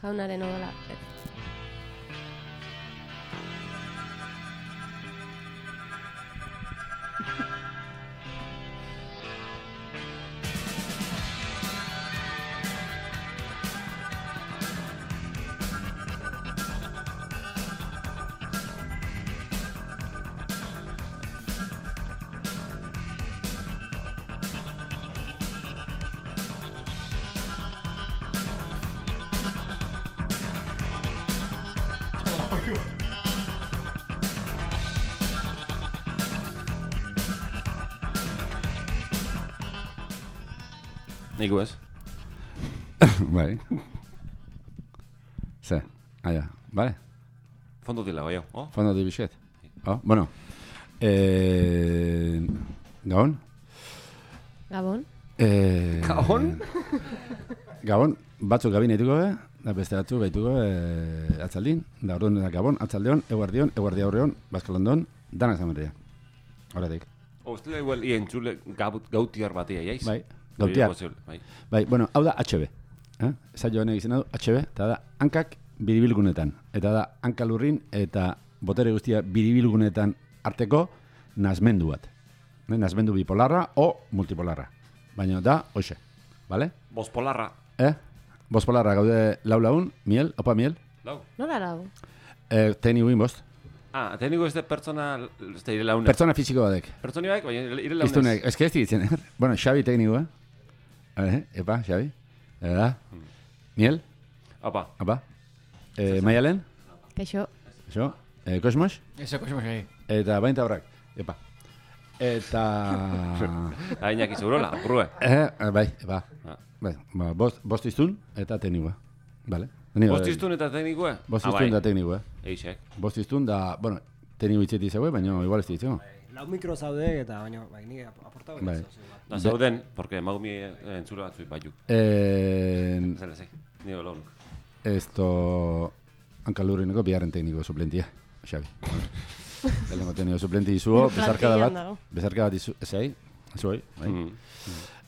Jaunaren odola. Niku ez? Bai. Ze, aia, bale? Fondo dila, bai, Fondo di bisket. Bueno. Gabon? Gabon? Gabon? Gabon, batzuk gabin eituko da beste batzuk behituko atzaldin, da orduan da Gabon, atzaldeon, eguardi aurreon, Baskalondon, danak zamerria. Horatik. Ostela igual, entzule gautiar batia, jaiz? Bai, gautiar. Bai, bueno, hau da HB. Zailo honek izena du HB, eta da hankak biribilgunetan. Eta da hankalurrin eta botere guztia biribilgunetan arteko nazmendu bat. Nazmendu bipolarra o multipolarra. Baina da, hoxe, bale? Bospolarra. Bospolarra gaude laun, miel, opa miel? Lau. Nola lau? Tekniko inbost. Tekniko ez de pertsona, ez da ire launek. Pertsona fiziko badek. Pertsoni baik, baina ire launez. Iztunek, ez que ez ditzen, Bueno, Xabi teknikoa. Epa, Xabi. Miel? Apa. Maialen? Kaixo. Eso. Kosmos? Eso, Kosmos, gai. Eta bainta horrak. Epa. Eta... Ainak izurola, brue. Bai, epa. Bai, bost iztun eta teknikoa. Vale. Bost iztun eta teknikoa? Bost iztun da teknikoa. Eixek. Bost iztun da, bueno, tekniko itzeti zegoe, baina igual ez ditzeko. Lau mikro zaude eta baina nire aportau. Da zauden, porque maumi entzula batzui baiuk. Zela, ze, nire launuk. Esto... Hankalurrineko biharren tekniko suplentia, Xabi. Lehenko tekniko suplenti izuo, bezarkada bat izu, ezai, zuoi, bai.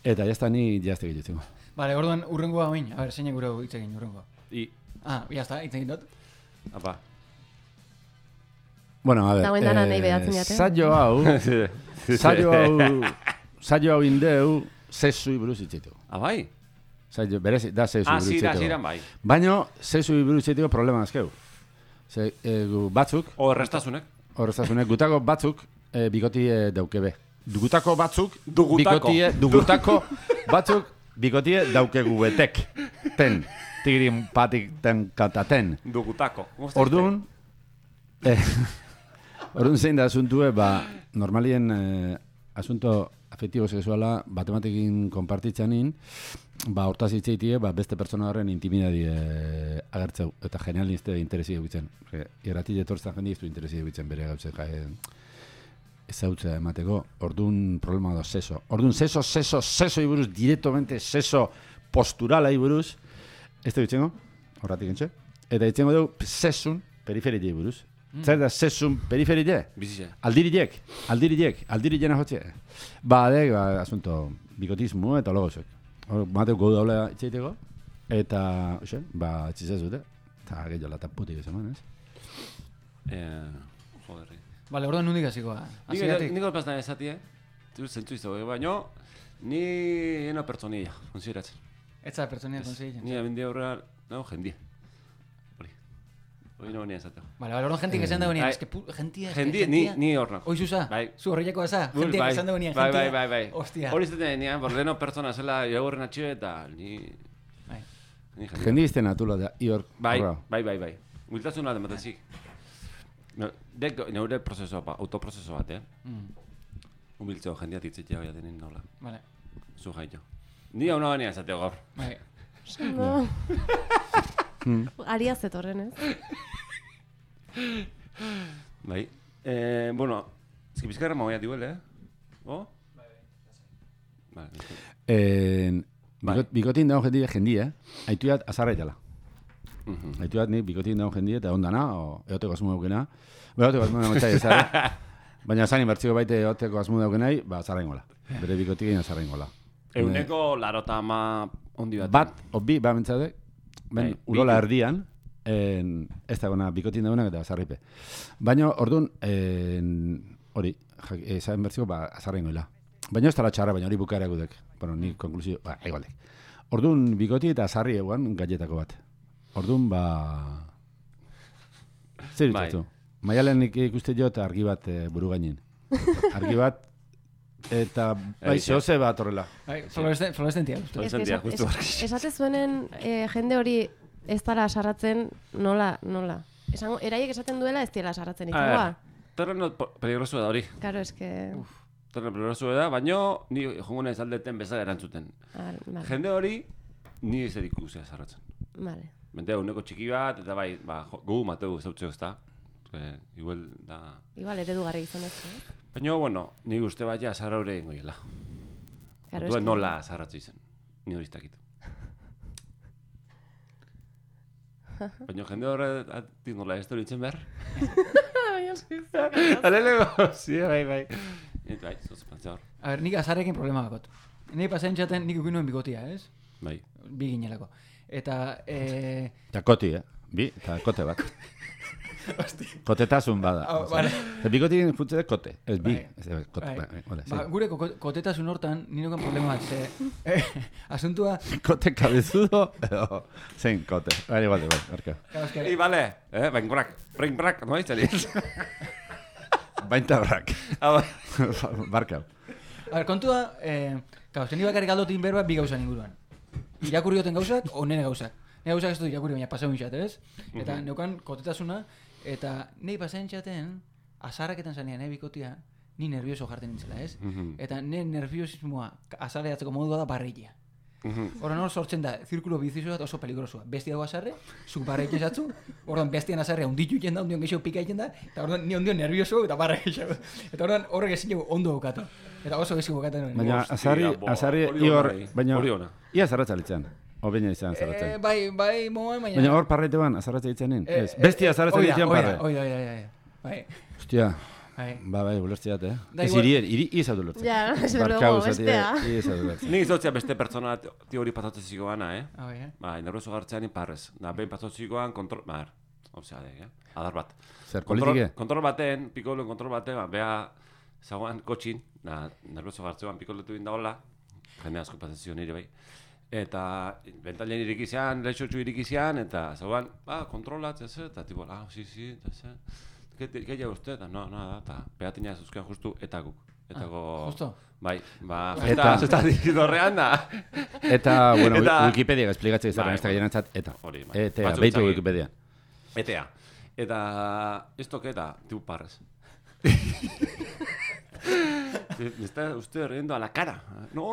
Eta jazta ni jazte gitzitzeko. Vale, orduan urrengoa oin, a ver, zeinak gure hitz egin urrengoa. Jazta, hitz egin dut. Apa. Bueno, a ver, saio hau indeu, zesui buruz itxeteko. Bai? Saio, berez, da zesui buruz itxeteko. Ziran bai. Baina, zesui buruz itxeteko problema azkeu. Batzuk... Horreztasunek, gutako batzuk bikoti daukebe. Dugutako batzuk bikotie daukegu betek. Ten. Tigrin patik ten kataten. Dugutako. Orduan zein da asuntue, normalien asunto afektibo sexuala batematekin konpartitzanin, hortaz itzeitie, beste pertsona horren intimidadi agertzeu, eta genial nizte interesi egitzen. Irrati etortzen jende iztu interesi egitzen bere gautzen ezautzea emateko, orduan problema da seso. Orduan seso iburuz, directamente seso posturala iburuz, ez da ditzengo, horratik entxe, eta ditzengo dugu sesun periferite iburuz. Zer da sesun periferite? Bizitze. Aldirilena hotxe. Asunto, bikotismo eta logosek. Mateu gau daula itxeiteko, eta, etxizaz dute, eta gehiago lata putik esan, ez? Joderri. Vale, orduan nundik hasikoa. Niko pastan ezatie, zentzu izte, baina ni ena pertsonilla, konsideratzen. Etza pertsonilla konsideratzen. Ni abendia horra, jendia. Hori no venía esateko. Vale, orduan jentik esan da venía, gentia. Ni horna. Oizuza, zu horreiako eza, jentik esan da venía, gentia. Bai. Ostia. Hori izaten denean, borleno pertsona zela jagurren atxio eta ni... Jendi izten atula da, ior. Bai. Huiltasun bat ematezik. Neure prozeso bat, autoprozeso bat, Humiltzeo jendia titzitea bai atenin nola. Vale. Zu jaito. Ni hau nabania esateo gaur. Bai. No. Aria zetorren, ez? Bai. Bueno, eski bizkarra magoia diuele, Vale. Bikotin dago jendia, haituat azarraitala. Haituat nik bikotin dago jendia eta ondana, eoteko asmu daukena. Eoteko asmu daukena, baina zanin bertziko baite eoteko asmu daukenai, azarra ingola. Bere bikotik egin azarra ingola. Euneko larota Ondi bat. Bat, obi, ba mentzade, Bai, urola bitu. erdian, ez dagoena bikotin dagoenak eta azarripe. Baina, orduan, hori, esan bertziko, azarren goela. Baina ez tala txarra, baina hori bukaera gudek. Bueno, ni konklusio, egolek. Orduan, bikoti eta azarri eguan galletako bat. Orduan, zer dituztu? Maialen ikuste jo eta argi bat buru gainin. Argi bat, eta zehose bat horrela. Fluorescentia. justu. Esate zuenen jende hori ez dara sarratzen nola. Eraiek esaten duela ez diela sarratzen itxagoa. Terreno peligroso da hori. Claro, es que... Terreno peligroso da, baina ni jongo naiz aldeten bezala erantzuten. Vale. Jende hori, ni ez edikuzea sarratzen. Vale. Mentea, uneko txiki bat, eta bai, gu mateu zautzeo ez da. Igual da... Igual eredugarri izan ez. Baina, bueno, ni uste bat ja sarra hori ingoiela. Claro, Orduan nola sarratzu izen. Ni hori iztakitu. Baina jende horretik nola ez duritzen behar. Alelego, sí, bai. Eta bai, zoz pantza hor. A ver, nik azarrekin problema bakot. Nik pasain txaten nik ukin nuen bigotia, ez? Bai. Bi ginelako. Eta... Eta koti, bi, eta kote bat. Kotetasun bada. Vale. Bikotik funtze kote, ez bi. Gure kotetasun hortan, nirokan problema bat, asuntua... Kote kabezudo, edo zein kote. Bai, barka. I, bale, bring brak, no izan ez? Bainta brak. Barka. A ver, kontua, zen bakarrik aldotin berba bi gauzan inguruan. Irakurri goten gauzak, o nene gauzak. Nene gauzak ez dut irakurri, baina pasau inxat, ez? Eta neukan kotetasuna, eta nahi pasain txaten, azarraketan zanean, bikotia, ni nervioso jarten nintzela, ez? Eta ne nerviosismoa azarreatzeko modua da barreia. Horren hor sortzen da, zirkulo bizizoa oso peligrosua. Bestia dago azarre, zuk barreik esatzu, horren bestian azarrea unditu iten da, ondion gehiago pika iten da, eta horren ni ondion nervioso eta barreik esatzu. Eta horren horrek ezin dugu ondo bukatu. Eta oso gehiago bukatu nuen. Baina azarri ior, baina ia zarratza litzen. Obeina izan zarratzen. Bai, moan, baina... Baina hor parreite ban, azarratza litzen nin. Bestia azarratza litzen parre. Bai. Hostia. Bai, ulertziat, Ez iri izatu lertzen. Ja, ez luego, bestea. Ni izotzea beste pertsona hori pasatzeziko gana, Bai, nervioso gartzean parrez. Behin pasatzezikoan kontrol... Adar bat. Zer, politike? Kontrol baten, pikoloen kontrol baten, beha zagoan kotxin, nervioso gartzean pikoletu indaola, jende asko pasatzezio nire bai. Eta bentalen irikizean, lehetsotxu irikizean, eta zagoan, kontrolatzea zer, eta tipo, sí, eta zer. ¿Qué lleva usted? No, nada, eta peatina zuzkean justu eta guk. Justo? Bai, eta dizidorrean da. Eta, bueno, Wikipedia esplikatzea izaren ez da gaienantzat, eta. Eta, behitu Wikipedia. Etea. Eta, ez toketa, tipu parrez. Me está usted riendo a la cara. No.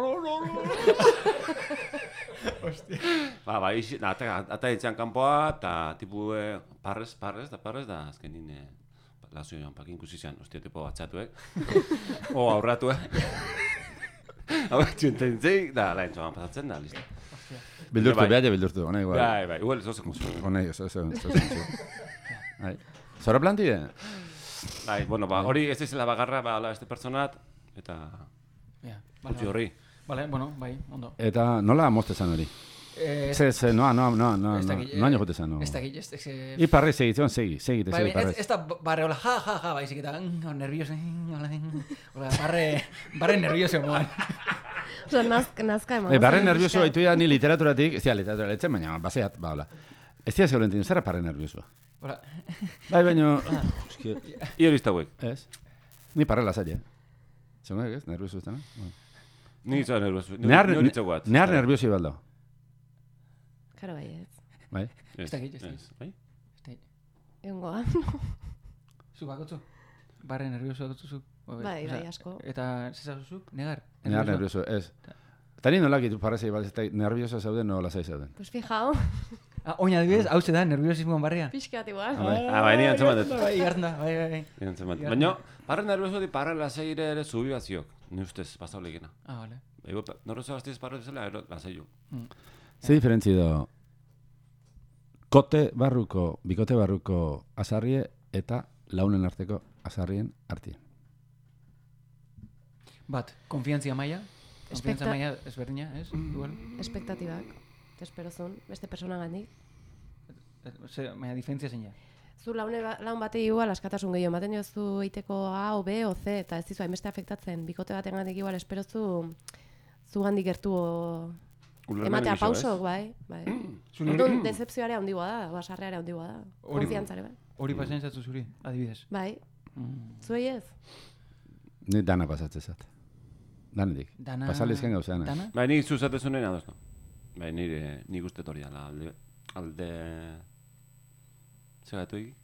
Hostia. Ata ditzean kanpoa, eta tipu parrez, da azkenin lazioan pakin ikusizean, hostia, tipo batxatu, aurratu, Hau txuntentzei, da, lain txoan pasatzen da, listo. Bildurtu, hona igual. Bai, igual, zoze konsu. Hona zoze Zora plantide? Bai, bueno, hori ez izela bagarra, este personat, eta utzi horri. Vale, bueno, bai, ondo. Eta nola moztezan hori? No jote zan. Ez dakit. I parre segitzen, segi parre. Ez da barre, hola, ja, baizik eta nervioso, barre nervioso moan. Oso, nazka eman. Barre nervioso haitu ni literaturatik, ez dira literatura letzen, baina baseat, hola. Ez dira zeurentin, zerra parre nervioso? Bai, baina... I hori izta guek? Ez. Ni parre lasai, Zengak ez, nervioso ez dena? Ni izan nervioso. Nehar nervioso ibaldao. Karo bai ez. Bai? Ez dakit. Bai? Egongoa. Zuk bakotzu? Barre nervioso bakotzu zuk? Bai, asko. Eta zezazuzuk? Negar? Nehar nervioso, ez. Eta ni nolak itu parrezei balez, nervioso zauden, no lasai zauden. Pues fijao. Oina adibidez, hau ze da, nerviosismoan barria? Pixkat igual. Bai, ni antzeman dut. Bai, hartzen da, bai. Baina, parre nervioso di parre lasai ere zubi batziok. Ni ustez, pasau legena. Vale. Nervioso gaztiz parre bezala, lasai jo. Ze diferentzi do bikote barruko azarrie eta launen arteko azarrien artien? Bat, konfiantzia maila. Konfiantza maila ezberdina, ez? Igual. Espektatibak. Esperozun, beste persona gandik. Baina diferentzia zein ja. Zu laun batei igual askatasun gehiago ematen diozu eiteko A, o B, o C, eta ez dizu hainbeste afektatzen. Bikote baten gandik igual esperozu zu gandik gertu ematea pausok, bai. Orduan, decepzioare handigoa da, basarreare handigoa da. Konfiantzare, bai. Hori pasatzen zatu zuri, adibidez. Bai. Zuei ez? Ni dana pasatzen zat. Danetik. Pasalezken gauza dana. Dana? Bai, nik zuzatezunen ados, no? Bai, nik uste hori dala, alde... Zegatu egi?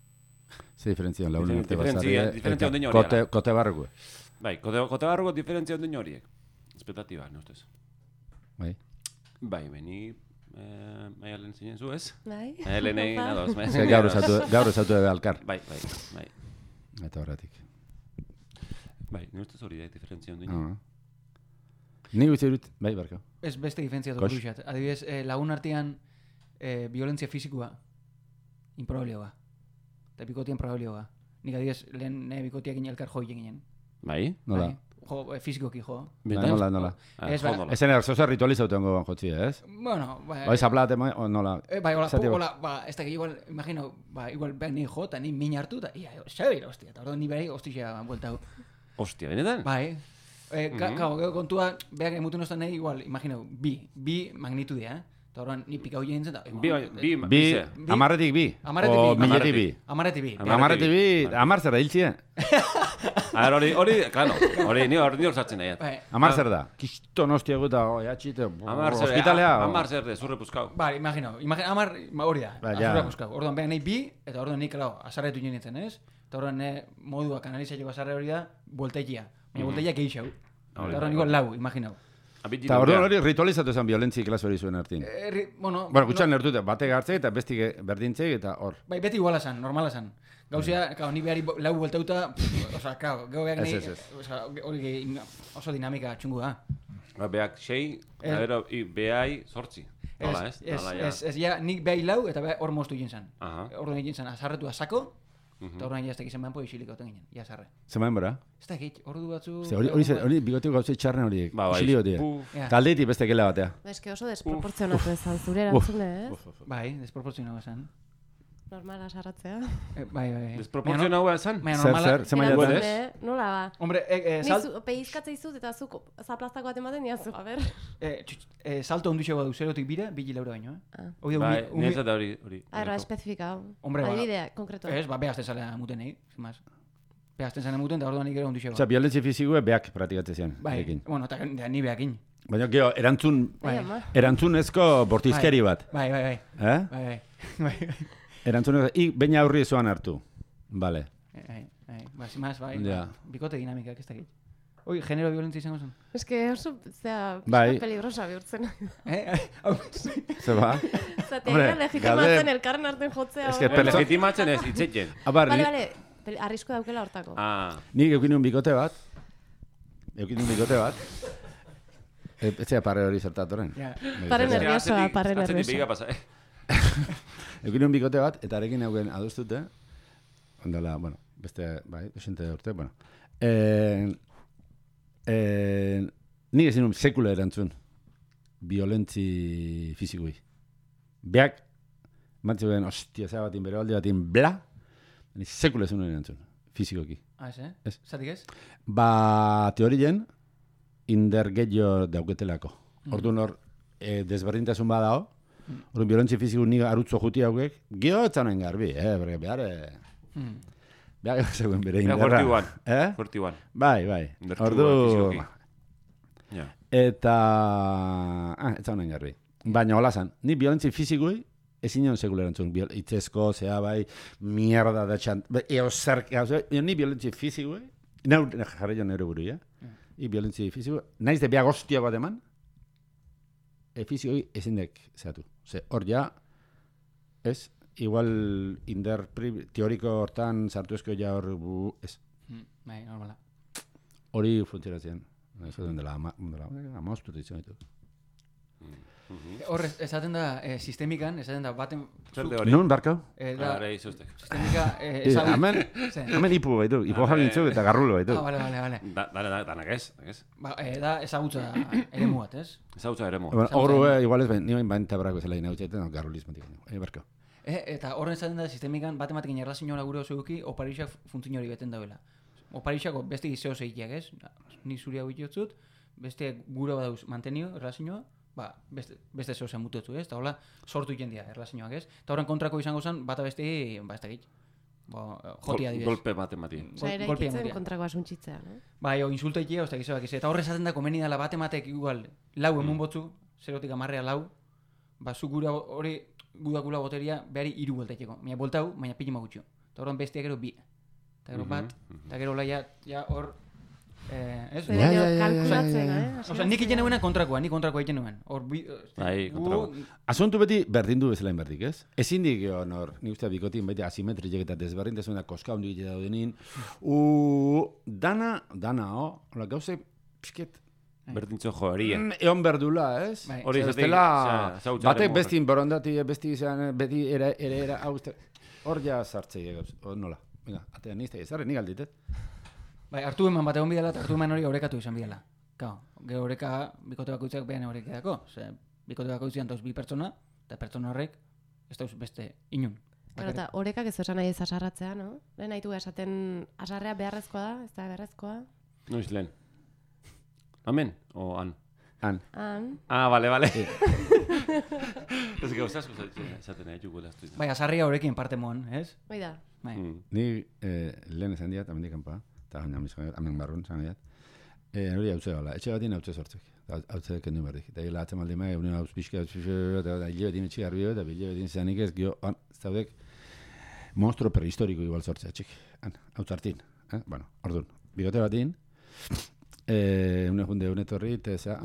Ze diferentzia lagunen urte basarri. Diferentzia ondino hori. Kote barruko. Bai, kote barruko diferentzia ondino horiek. Expectatiba, no ustez. Bai. Bai, ni maialen zinen zu, ez? Bai. Maialen egin ados. Gaur esatu ebe alkar. Bai. Eta horretik. Bai, ni ustez hori da, diferentzia ondino. Ni guzti dut, bai, barko. Ez beste diferentzia dut duxat. Adibidez, lagun artean violentzia fizikoa improbablioa. Eta bikotian probablioa. Nik adibidez, lehen bikotiak elkar joi ginen. Bai? Nola? Jo, fizikoki jo. Nola. Ez, bai. Ezen erzoza ritualizatu ongo banjotzi, ez? Bueno, bai. Bai, zaplate, nola. Bai, hola, ez da, igual, imagino, igual behar ni jo, eta ni min hartu, eta ia, xabira, hostia. Eta orduan ni behar, hostia, bueltau. Hostia, benetan? Bai. Gau, kontua, behar emutu nostan nahi, igual, imagino, bi magnitudia, Eta horren, ni pikau jenen zen, bi, amarretik bi, o miletik bi. Amarretik bi. Amarretik bi, amar zer da, hiltzien. Hori, claro, hori hor sartzen nahi. Amar zer da, kiston hostia guta, atxite, hospitalea. Amar zer de, zurre puzkau. Bale, imagino, amar hori da, zurre puzkau. Orduan, behar nahi bi, eta orduan nik, klau, azarretu jenen zen, ez? Eta orduan, modua kanalizatzeko azarre hori da, volteikia. Baina volteikia geixau. Eta orduan, igual lau, imagino. Eta orduan hori ritualizatu zen violentzi klaso hori zuen hartin. Bueno, gutxan lertute, bate gartzek eta bestik berdintzek eta hor. Bai, beti iguala zan, normala zan. Gauzea, ni behari lau bueltauta, oza, gau behar nahi, hori oso dinamika txungu da. Behak 6, behai 8. Nola, ez? Ez, ja, nik behai lau eta hor moztu egin zan. Orduan egin zan, azarretu azako, eta horrein jaztek izan behanpo isilik gauten ginen, jazarre. Zemaen bora? Ez da egit, ordu batzu... Hori bigotiko gauzei txarren horiek, isilio dira. Taldeetik beste kele batea. Ez que oso desproportzionatu ezan zure erantzune, ez? Bai, desproportzionatu ezan. Normala sarratzea. Bai. Desproportzionatu ezan? Zer, nola ba? Hombre, peizkatze izuz eta zuk zaplastako bat ematen diazu, a ber. Salto onduxe badu, zerotik bira, 2 laura baino, Bai, nire eta hori. Arra, especifikau. Hombre, adibidea, konkretu. Ez, behazten zalea muten egin, más. Behazten zalea muten, eta orduan ikera onduxe badu. Osa, violentzi fizikoa behak praktikatzen zian. Bai, bueno, eta ni behakin. Baina, geho, erantzunezko bortizkeri bat. Bai. Erantzunezko, baina aurri ezoan hartu. Bale. Bai, bikote dinamikak ez dakit. Oi, genero violentzia izango zen? Ez que oso, peligrosa bihurtzen. Ze ba? Zatea, legitimatzen elkarren arten jotzea. Legitimatzen ez, itzetzen. Bale, arrisku daukela hortako. Nik eukin un bikote bat. Etzea parre hori zertatoren. Parre nerviosoa. Eukin un bikote bat, eta arekin euken adostute. Ondala, bueno, beste, bai, esente urte, bueno. Nik ezin sekula erantzun violentzi fizikui. Beak, mantzuen, ostia, zea batin, bere alde batin, bla, sekula ezin erantzun, fizikoki. Ez? Zatik ez? Ba, teorien, indergeio dauketelako. Orduan hor, desberdintasun badao, orduan violentzi fiziku nik arutzo juti haukek, geho etzanen garbi, behar... Beha zegoen bere inderra. Fortiguan. Bai. Ordu... Eta... ez honen garbi. Baina hola zan, ni violentzi fizikui ezin nion sekulerantzun. Itzezko, zea bai, mierda da txant... Eo zer... Ni violentzi fizikui... Jarri jo nire buru, I violentzi fizikui... Naiz de beha goztia bat eman... Fizikui ezindek zehatu. Hor ja... Ez... Igual teoriko hortan sartu ezko ja hor ez. Bai, normala. Hori funtzionatzen. Eso dela amaustu ditzen ditu. Hor esaten da sistemikan, esaten da baten... Zer de hori? Nun, barkau? Ara, izuztek. Sistemika... Hemen ipu baitu, ipu jagintzuk eta garrulo baitu. Vale. Danak ez. Da ezagutza eremu bat, ez? Ezagutza eremu. Horro, igual ez, nioen bainta brako zela inautxetan, garrulismatik. Barkau. Eta horren esaten da sistemikan batematekin erlazioa gure oso eduki, oparixak funtzio hori beten dauela. Oparixako beste gizeo zeikiak, ez? Ni zuri hau itotzut, beste gure badauz mantenio, erlazioa, beste zeo zen mutuetu, ez? Eta hola, sortu jendia erlazioak, ez? Eta horren kontrako izango zen, bata beste, ez da git. Jotia dibez. Golpe batemati. Osa, ere ikitzen kontrako asuntzitzea, no? Bai, insulto ikia, oztak izoak ez. Eta horre esaten da, komeni dela batematek igual, lau emun botzu, 0-tik 10 lau, zu gura hori, gudakula boteria, behari 3 bueltaiteko. Baina boltau, baina pilima gutxo. Eta horren bestia gero 2. Eta gero bat, eta gero laia, hor... Ez? Kalkulatzen, Osa, nik egiten nuen kontrakoa, nik kontrakoa egiten nuen. Bai, kontrakoa. Asuntu beti berdin du bezala inberdik, ez? Ezin dik hor, nik uste bikotin beti asimetrik eta desberdintasun da koska hondi egite daudenin. Dana, hola, gauze, pixket, Berdintzo joarien. Egon berdula, ez? Hori estela, batek bestin borondati, besti izan, beti era, hor ja sartzei, nola. Venga, atean nizte, ezarri nik alditet. Bai, hartu eman bat egon bidala, eta hartu eman hori orekatu izan bidala. Gero oreka, bikote bakoitzak behan orekeako. Bikote bakoitzean dauz 2 pertsona, eta pertsona horrek, ez dauz beste inun. Pero eta orekak ez esan nahi ez asarratzea, no? Lehen haitu esaten asarrea beharrezkoa da, ez da beharrezkoa? Noiz lehen. Amen? O an? An. Vale. Ez gauza asko esaten nahi jugu elaztu izan. Bai, asarria horrekin parte moan, ez? Bai da. Ni lehen esan diat, amendik kanpa, eta amen barrun esan diat. Hori hautze gala, etxe batien hautze sortzek. Hautze kendu berdik. Eta gila atzen maldi maia, hautz pixka, eta hile betin etxik arbio, eta bile betin zeanik ez, gio, zaudek, monstruo prehistoriko igual sortzea, txik. Hautz hartin. Bueno, orduan, bigote batin, une junde, une torri, eta zea,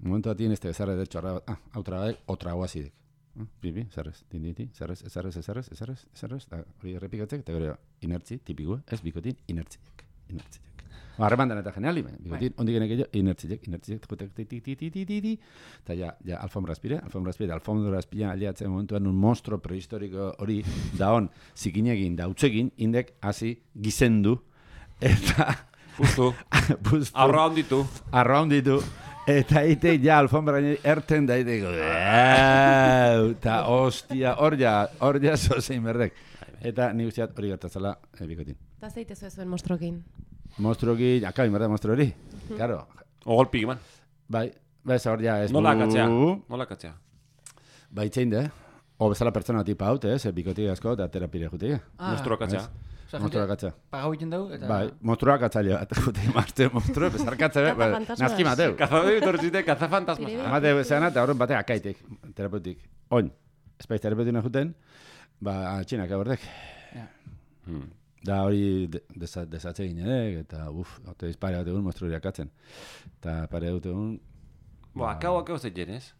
momentu batin, ez da bezarra edo txarra bat, hautra bat, otra guazidek. Bibi, zerrez, dinditi, zerrez, eta hori errepikatzek, eta gero inertzi, tipikua, ez bikotin, inertziek. Harremandan eta geniali, bikotin, ondik genek egin, inertziek, eta ja, alfombra azpire, aliatzen momentuan un monstruo prehistoriko hori daon zikinegin, dautzekin, indek hasi gizendu, eta... Pustu. Arraunditu. Eta ite ja alfombra erten da iteko. Eta hostia, hor ja zozein berdek. Eta ni guztiat hori gertatzela bikotin. Eta zeite zuen mostrokin? Mostrokin, akabin berda mostro hori. Claro. Ogolpik eman. Bai, hor ja ez. Nola katzea. Bai, txein de. O bezala pertsona tipa haute, bikotik asko eta terapire jutik. Mostroa katzea. Monstruoa katza. Pagau egiten dugu, eta... Bai, monstruoa katzailea. Eta jute, marste, monstruoa, bezar katza, nazki mateu. Kazadoi tortzite, kazafantasma. Amate zeana, eta horren batek akaitek, terapeutik. Oin, espaiz terapeutina juten, txinak abordek. Da hori desatze ginen, eta ote izpare bat egun monstruoa katzen. Eta pare dut egun... Akau zeiten, ez?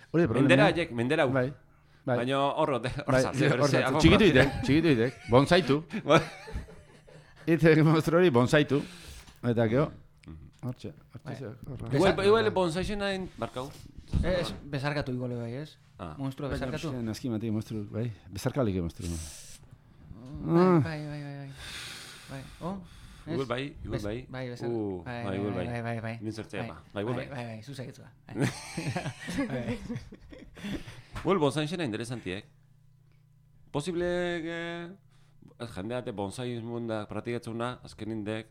Hori problema. Mendera hu. Baina horro sartzen. Txikitu itek, bonsaitu. Itek monstru hori bonsaitu. Eta geho, hortxe. Igual bonsaixen hain barkau? Bezarkatu igual bai, ez? Monstrua bezarkatu? Naski mati monstru, bai. Bezarkalik monstru. Bai. Igual bai. Bai. Nintzertzea ba. Bai, zuzaketzua. Bueno, bonsaixena interesantiek. Posible jendeate bonsai munda praktikatzuna azken indek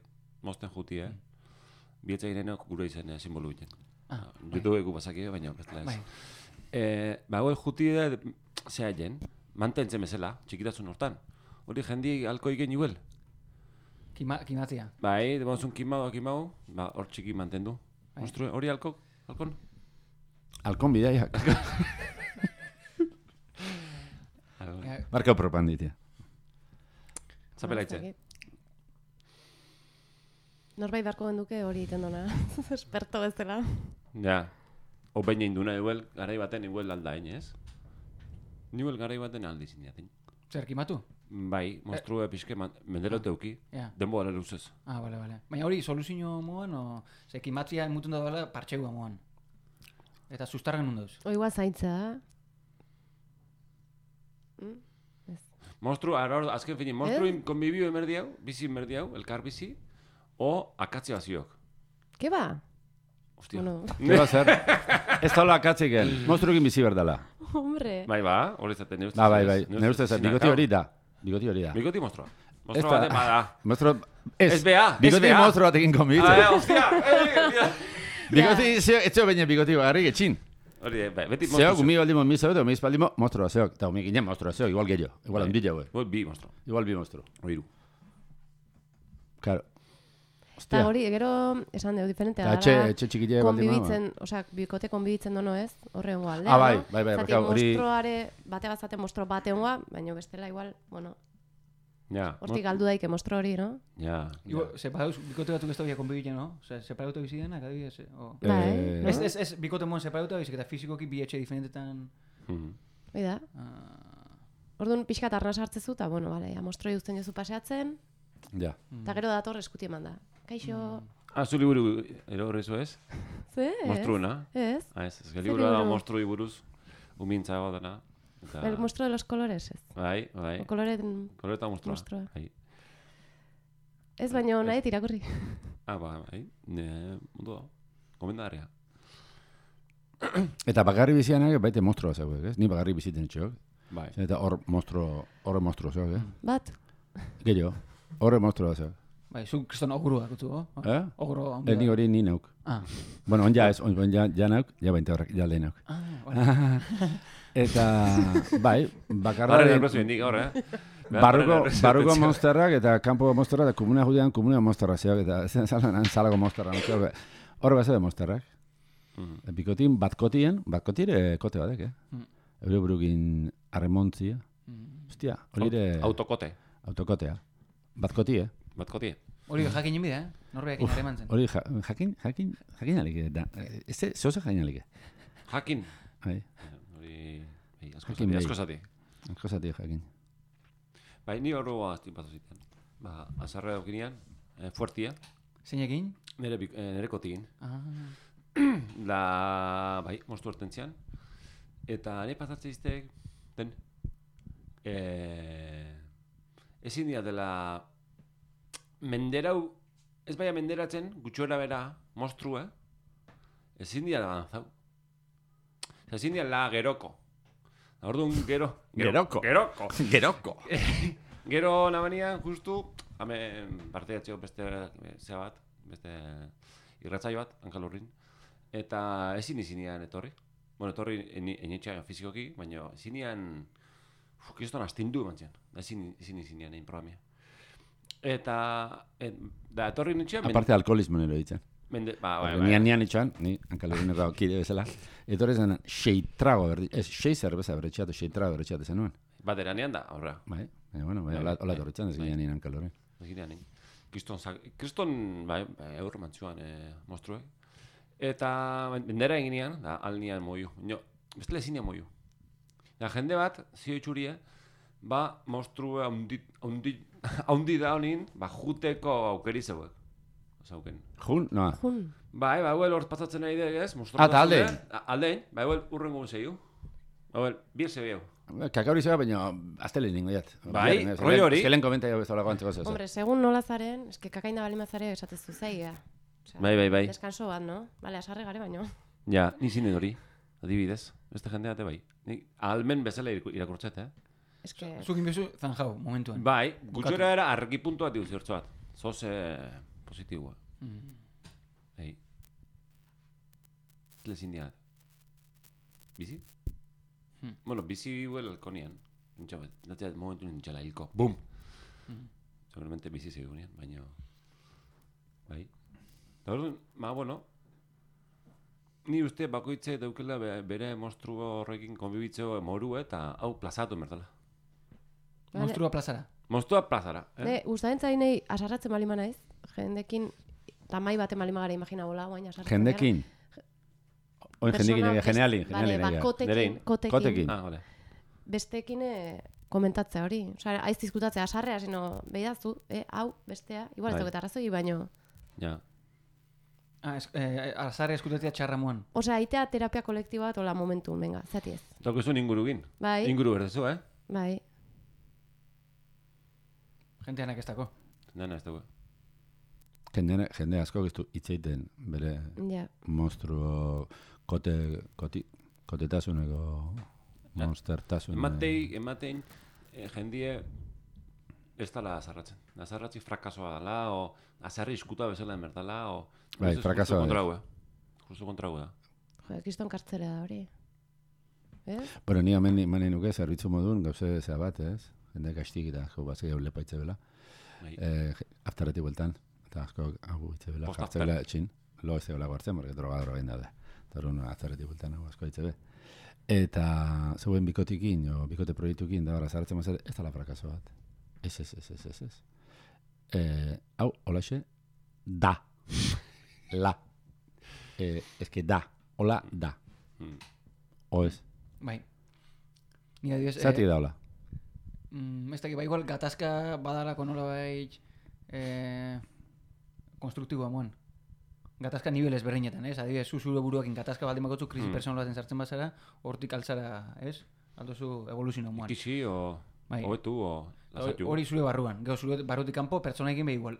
mosten juti, Bietza irenok gure izan simbolu egiten. YouTube egu basaki baina bestela ez. Hoi juti zea jen, mantentzen bezala, txikitasun hortan. Hori jendi alko igen iguel. Kimatzia. Bai, debonzun kimau, hor txiki mantendu. Hori alkon? Alkon bidaiak. Marka propanditia. Zapelaitze. Norbait barko genduke hori iten dona. Esperto bezala. Ja. Opein induna igual, garai baten igual aldain, ez? Igual garai baten aldizin jaten. Zer, kimatu? Bai, monstrua pixke mendero teuki. Denbo gara luzez. Bale. Baina hori soluzio moan, o... Kimatzia emutun da dela partxeua moan. Eta sustarren nun dauz. O igual zaintza. Monstru, azken finin, monstruin konbibio emerdi hau, bizi emerdi hau, elkar bizi, o akatzi baziok. Ke ba? Hostia. Bueno, ¿Qué va a ser? Ez da hola akatziken. Monstruekin bizi berdala. hombre. Bai, ba, hori zaten, nire ustez. Bai. Nire ustez, bigoti hori da. Bigoti hori da. Bigoti monstrua. Ez Monstrua da- baten bada. Monstru... Ez bea, ez Bigoti bea. monstru batekin konbibitzen. Hostia, Bigoti, etxeo baina bigoti bagarrik etxin. hori, beti Zeok, monstru. umi baldimo mi zeu, umi espaldimo, monstrua zeok. Eta umi ginen monstrua zeok, igual gehiago. Igual handila, güey. Bi monstru. Igual bi monstru. Oiru. Claro. Eta Hostia. hori, gero, esan dugu, diferentea Eta dara. etxe txikile baldimo. Konbibitzen, osea, bikote konbibitzen dono ez, horre hongo aldea, Ah, bai, no? bai, Zati, claro, hori- monstruare, bate bazate monstro bate hongoa, baina bestela igual, bueno, Ja. hortik galdu daike monstro hori, no? Ja. Igual, separados, bikote batzuk ez da konbibitzen, no? Osea, separatuta bizi denak, adibidez, o... Bai, no? Ez, bikote mon separatuta bizik eta fizikoki bi etxe diferentetan... Hoi da. Orduan pixkat arnaz hartzezu, eta bueno, bale, ja, monstroi uzten jozu paseatzen, Ja. eta gero dator eskuti eman da. Kaixo, Zu liburu erorrezu ez? ze? Monstruena? Ez? Ez liburu da liburu? monstrui buruz, umintza dena. El monstruo de los colores, ez? Bai. O koloren Koloreta monstrua. monstrua. Bai. Ez baino nahi irakurri. Bai. Mundu da. Komendaria. Eta bakarri bizianak baite monstrua zeuek, ez? Ni bakarri biziten etxeok. Bai. Eta horre monstru zeuek, eh? Bat? Gehiago. Horre monstrua zeuek. Bai, zu kriston ogurua gutzu, Oguro handi Ni hori ni neuk. Ah, Bueno, on ja ez, on ja neuk, ja bainte horrek, ja leheneuk. vale. Eta, bai, Barre bakarra... nervioso bendik gaur, Barruko monsterrak eta kanpo monsterrak eta komuna judean komuna monsterrak zeok eta zalako monsterrak. Hor bezala de monsterrak. Bikotin batkotire kote badek, eh? Eure burukin arremontzia. Hostia, hori ere... Autokote. Autokotea. Batkotie. Batkotie. Hori jakin jimide, Norbeakin harreman zen. Hori jakin alike. Ez zoze jakin alike. Jakin. Bai, Hori... Jakin Asko zati. askozatik jakin. Bai, ni horro aztin patu ziten. Azarra daukinean, fuertia. Zeinekin? Nere kotigin. Bai, monstru hortentzian. Eta nire pasatze izteek, den, ezin dira dela menderau, ez baina menderatzen, gutxora bera, monstrua, ezin dira da danzau. Ezin dira la geroko. Orduan, geroko. Gero nabanian, justu, hemen parte jatzeko beste zea bat, beste irratzaio bat, hankalurrin, eta ezin izinean etorri. Bueno, etorri enetxean fizikoki, baina ezinean, kiston astindu eman zian, ezin izinean egin programia. Eta, da etorri nintxean... Aparte alkoholismo nero ditzen. Nian itxan, ni hankalurrineko kide bezala, etorri zen xeitrago berdi, ez, xeizer berretxeatu, xeitrago berretxeatu zenuen. Baderanean da, horra. Bai, hola torritzen, ez ginean nien hankalurrin. Eginean, kriston, bai, eur mantzuan monstruek. Eta bendera eginean, da, alnian moiu. Bestela ezinean moiu. Da, jende bat, zio itxurie, ba, monstrua haundi da honin, ba, juteko aukeri zeuek. Zauken. Jun? No. Jun. Bai, huel hor pasatzen nahi dek ez, monstrua. Eta aldein? Aldein, bai, huel urrengo zeiu. Huel, bir zebeu. Kakauri zeba, baina aztele ningo jat. Bai, rollo hori. Eskelen komenta jau bezala guantzeko zez. Hombre, segun nola zaren, eske kakaina balimazare esatezu zaia. Bai. Deskanso bat, no? Bale, asarre gare baino. Ja, ni zinen hori, adibidez. Beste jende bate bai. Ni almen bezala irakurtzet, Eske... Zukin bezu zanjau, momentuan. Bai, gutxora era argi puntu bat diuz zertzo bat. Zoz positiboa. Ei. Lezin diat. Bizi? Bueno, bizi huel alkonian. Natea momentu nintxala hilko. Bum! Seguramente bizi segunian, baina... Bai. Eta orduan, bueno, ni uste bakoitze daukela bere monstru horrekin konbibitzeo moru eta hau plazatu merdala. Monstrua plazara. Monstrua plazara. Ne, ustaden zainei asarratzen balima naiz, jendekin, tamai baten balima gara imagina bola, guain asarratzen. Jendekin? Oin jendekin, generalin. Vale, kotekin. Ah, vale. Besteekin komentatzea hori. Osea, aiz diskutatzea asarrea, sino, behidazu, hau, bestea, igual ez Bai. dauket arrazoi, baino... Ja. Azarri eskutetia txarra moan. Osea, aitea terapia kolektibo bat, hola momentu, venga, zati ez. Daukizun ingurugin. Bai. Inguru berdezu, Bai. Jenteanak ez dako. Dena ez dugu. Jende asko giztu itzeiten bere monstruo kotetasuneko monstertasun. Ematein jendie ez dala azarratzen. Azarratzi frakasoa dela, o azarri iskuta bezala emertala, o... Bai, frakasoa da. Justo kontraua da. Jo, kiston kartzera da hori. Bueno, ni hemen manen nuke zerbitzu modun, gauze zea bat, ez? Jende kastik eta asko batzea lepa itze bela. Aftaretik bueltan, eta asko hau itze bela. Jartze bela etxin, lo ez bela guartzen, porque droga egin daude. Eta hori aftaretik bueltan hau asko itze be. Eta zeuen bikotikin, o bikote proiektukin, da zartzen mazera, ez dala frakaso bat. Ez. Hau, holaxe, da. La. Eske da. Hola, da. O ez. Bai. Ni adibidez... Zati da hola. Ez dakit, igual gatazka badalako nola baitz konstruktiboa moan. Gatazka nivel ezberdinetan, ez? Adibidez, zure buruakin gatazka baldin bakotzu krisi personalaten sartzen bazara, hortik altzara, ez? Aldozu evoluzio moan. Ikisi, o hobetu, o lasatu. Hori zure barruan. Gero zure barrutik kanpo pertsonaekin be igual.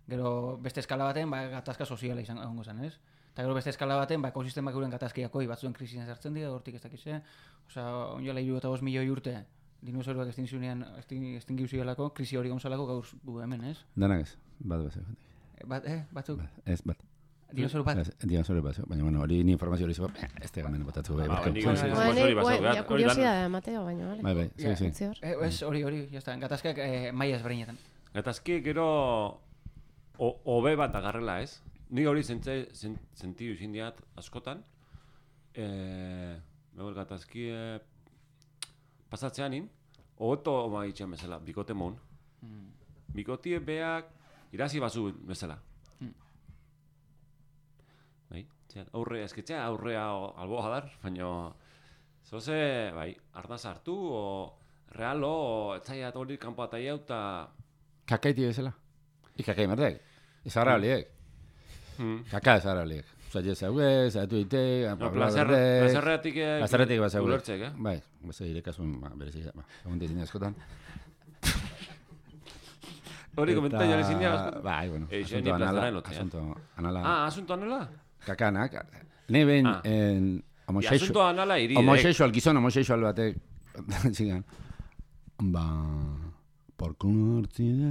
Gero beste eskala baten, gatazka soziala izango zen, ez? Eta gero beste eskala baten, ekosistemak euren gatazkiakoi batzuen krisien sartzen dira, hortik ez dakize. Osea, onjola 65 milioi urte, dinosauruak estingiu zialako, krisi hori gonzalako gaur gu hemen, ez? Danak ez, bat bezak. Batzuk? Ez, bat. Dinosauru bat? Dinosauru bat, baina bueno, hori ni informazio hori zego, ez tegamen botatzu bai. Kuriosidadea, Mateo, baina, bale? Bai, sí. Ez, hori, jazta, gatazkak maia ezberdinetan. Gatazki gero hobe bat agarrela, ez? Ni hori sentiu izin diat askotan. Begor gatazki pasatzeanin, hobeto maitxean bezala, bikote mon. Bikotie beak irazi bazu bezala. Bai, aurrea, esketxea aurrea alboa dar, baina zoze, bai, ardaz hartu, o realo, o etzaiat hori kanpo ataia eta... Kakaiti bezala. Ikakai merdek. Izarra holiek. Kaka izarra holiek. Osa, jezauge, zaitu ite, plazerretik ulertzek, Bai, beze irekasun, berezik, egun ditin askotan. Hori komentario hori zinia askotan. Bai, bueno, asunto anala. Asunto anala? Kakanak. Ne ben, asunto anala iri. Homosexual, gizon homosexual batek, zigan, porkuno hartzide,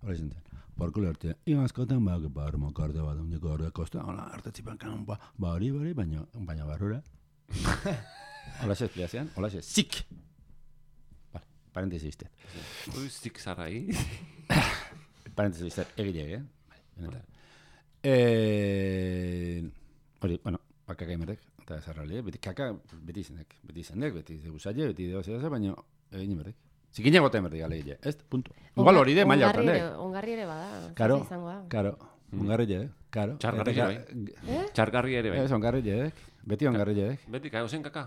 hori zintzen. Porkulo hartzide, iba askotan, armokarte bat, ondiko hori kosta, hola, hartetzipan kanon, hori, baina barrura. Hola se espliazean, hola se zik. Vale, parentesi izte. Ui, zik zarrai. Parentesi izte, egilek, Hori, bueno, kaka imerek, eta zarrali, beti kaka, beti izenek, beti guzaile, beti deozea, baina egin imerek. Zikine gota imerek gale egile, ez? Punto. Igual hori de, maila hortan, Ongarri ere bada, Karo, izango da. karo, ongarri ere, karo. Txargarri ere bai. Txargarri ere bai. Ez, ongarri ere, beti ongarri ere. Beti, kai ozen kaka?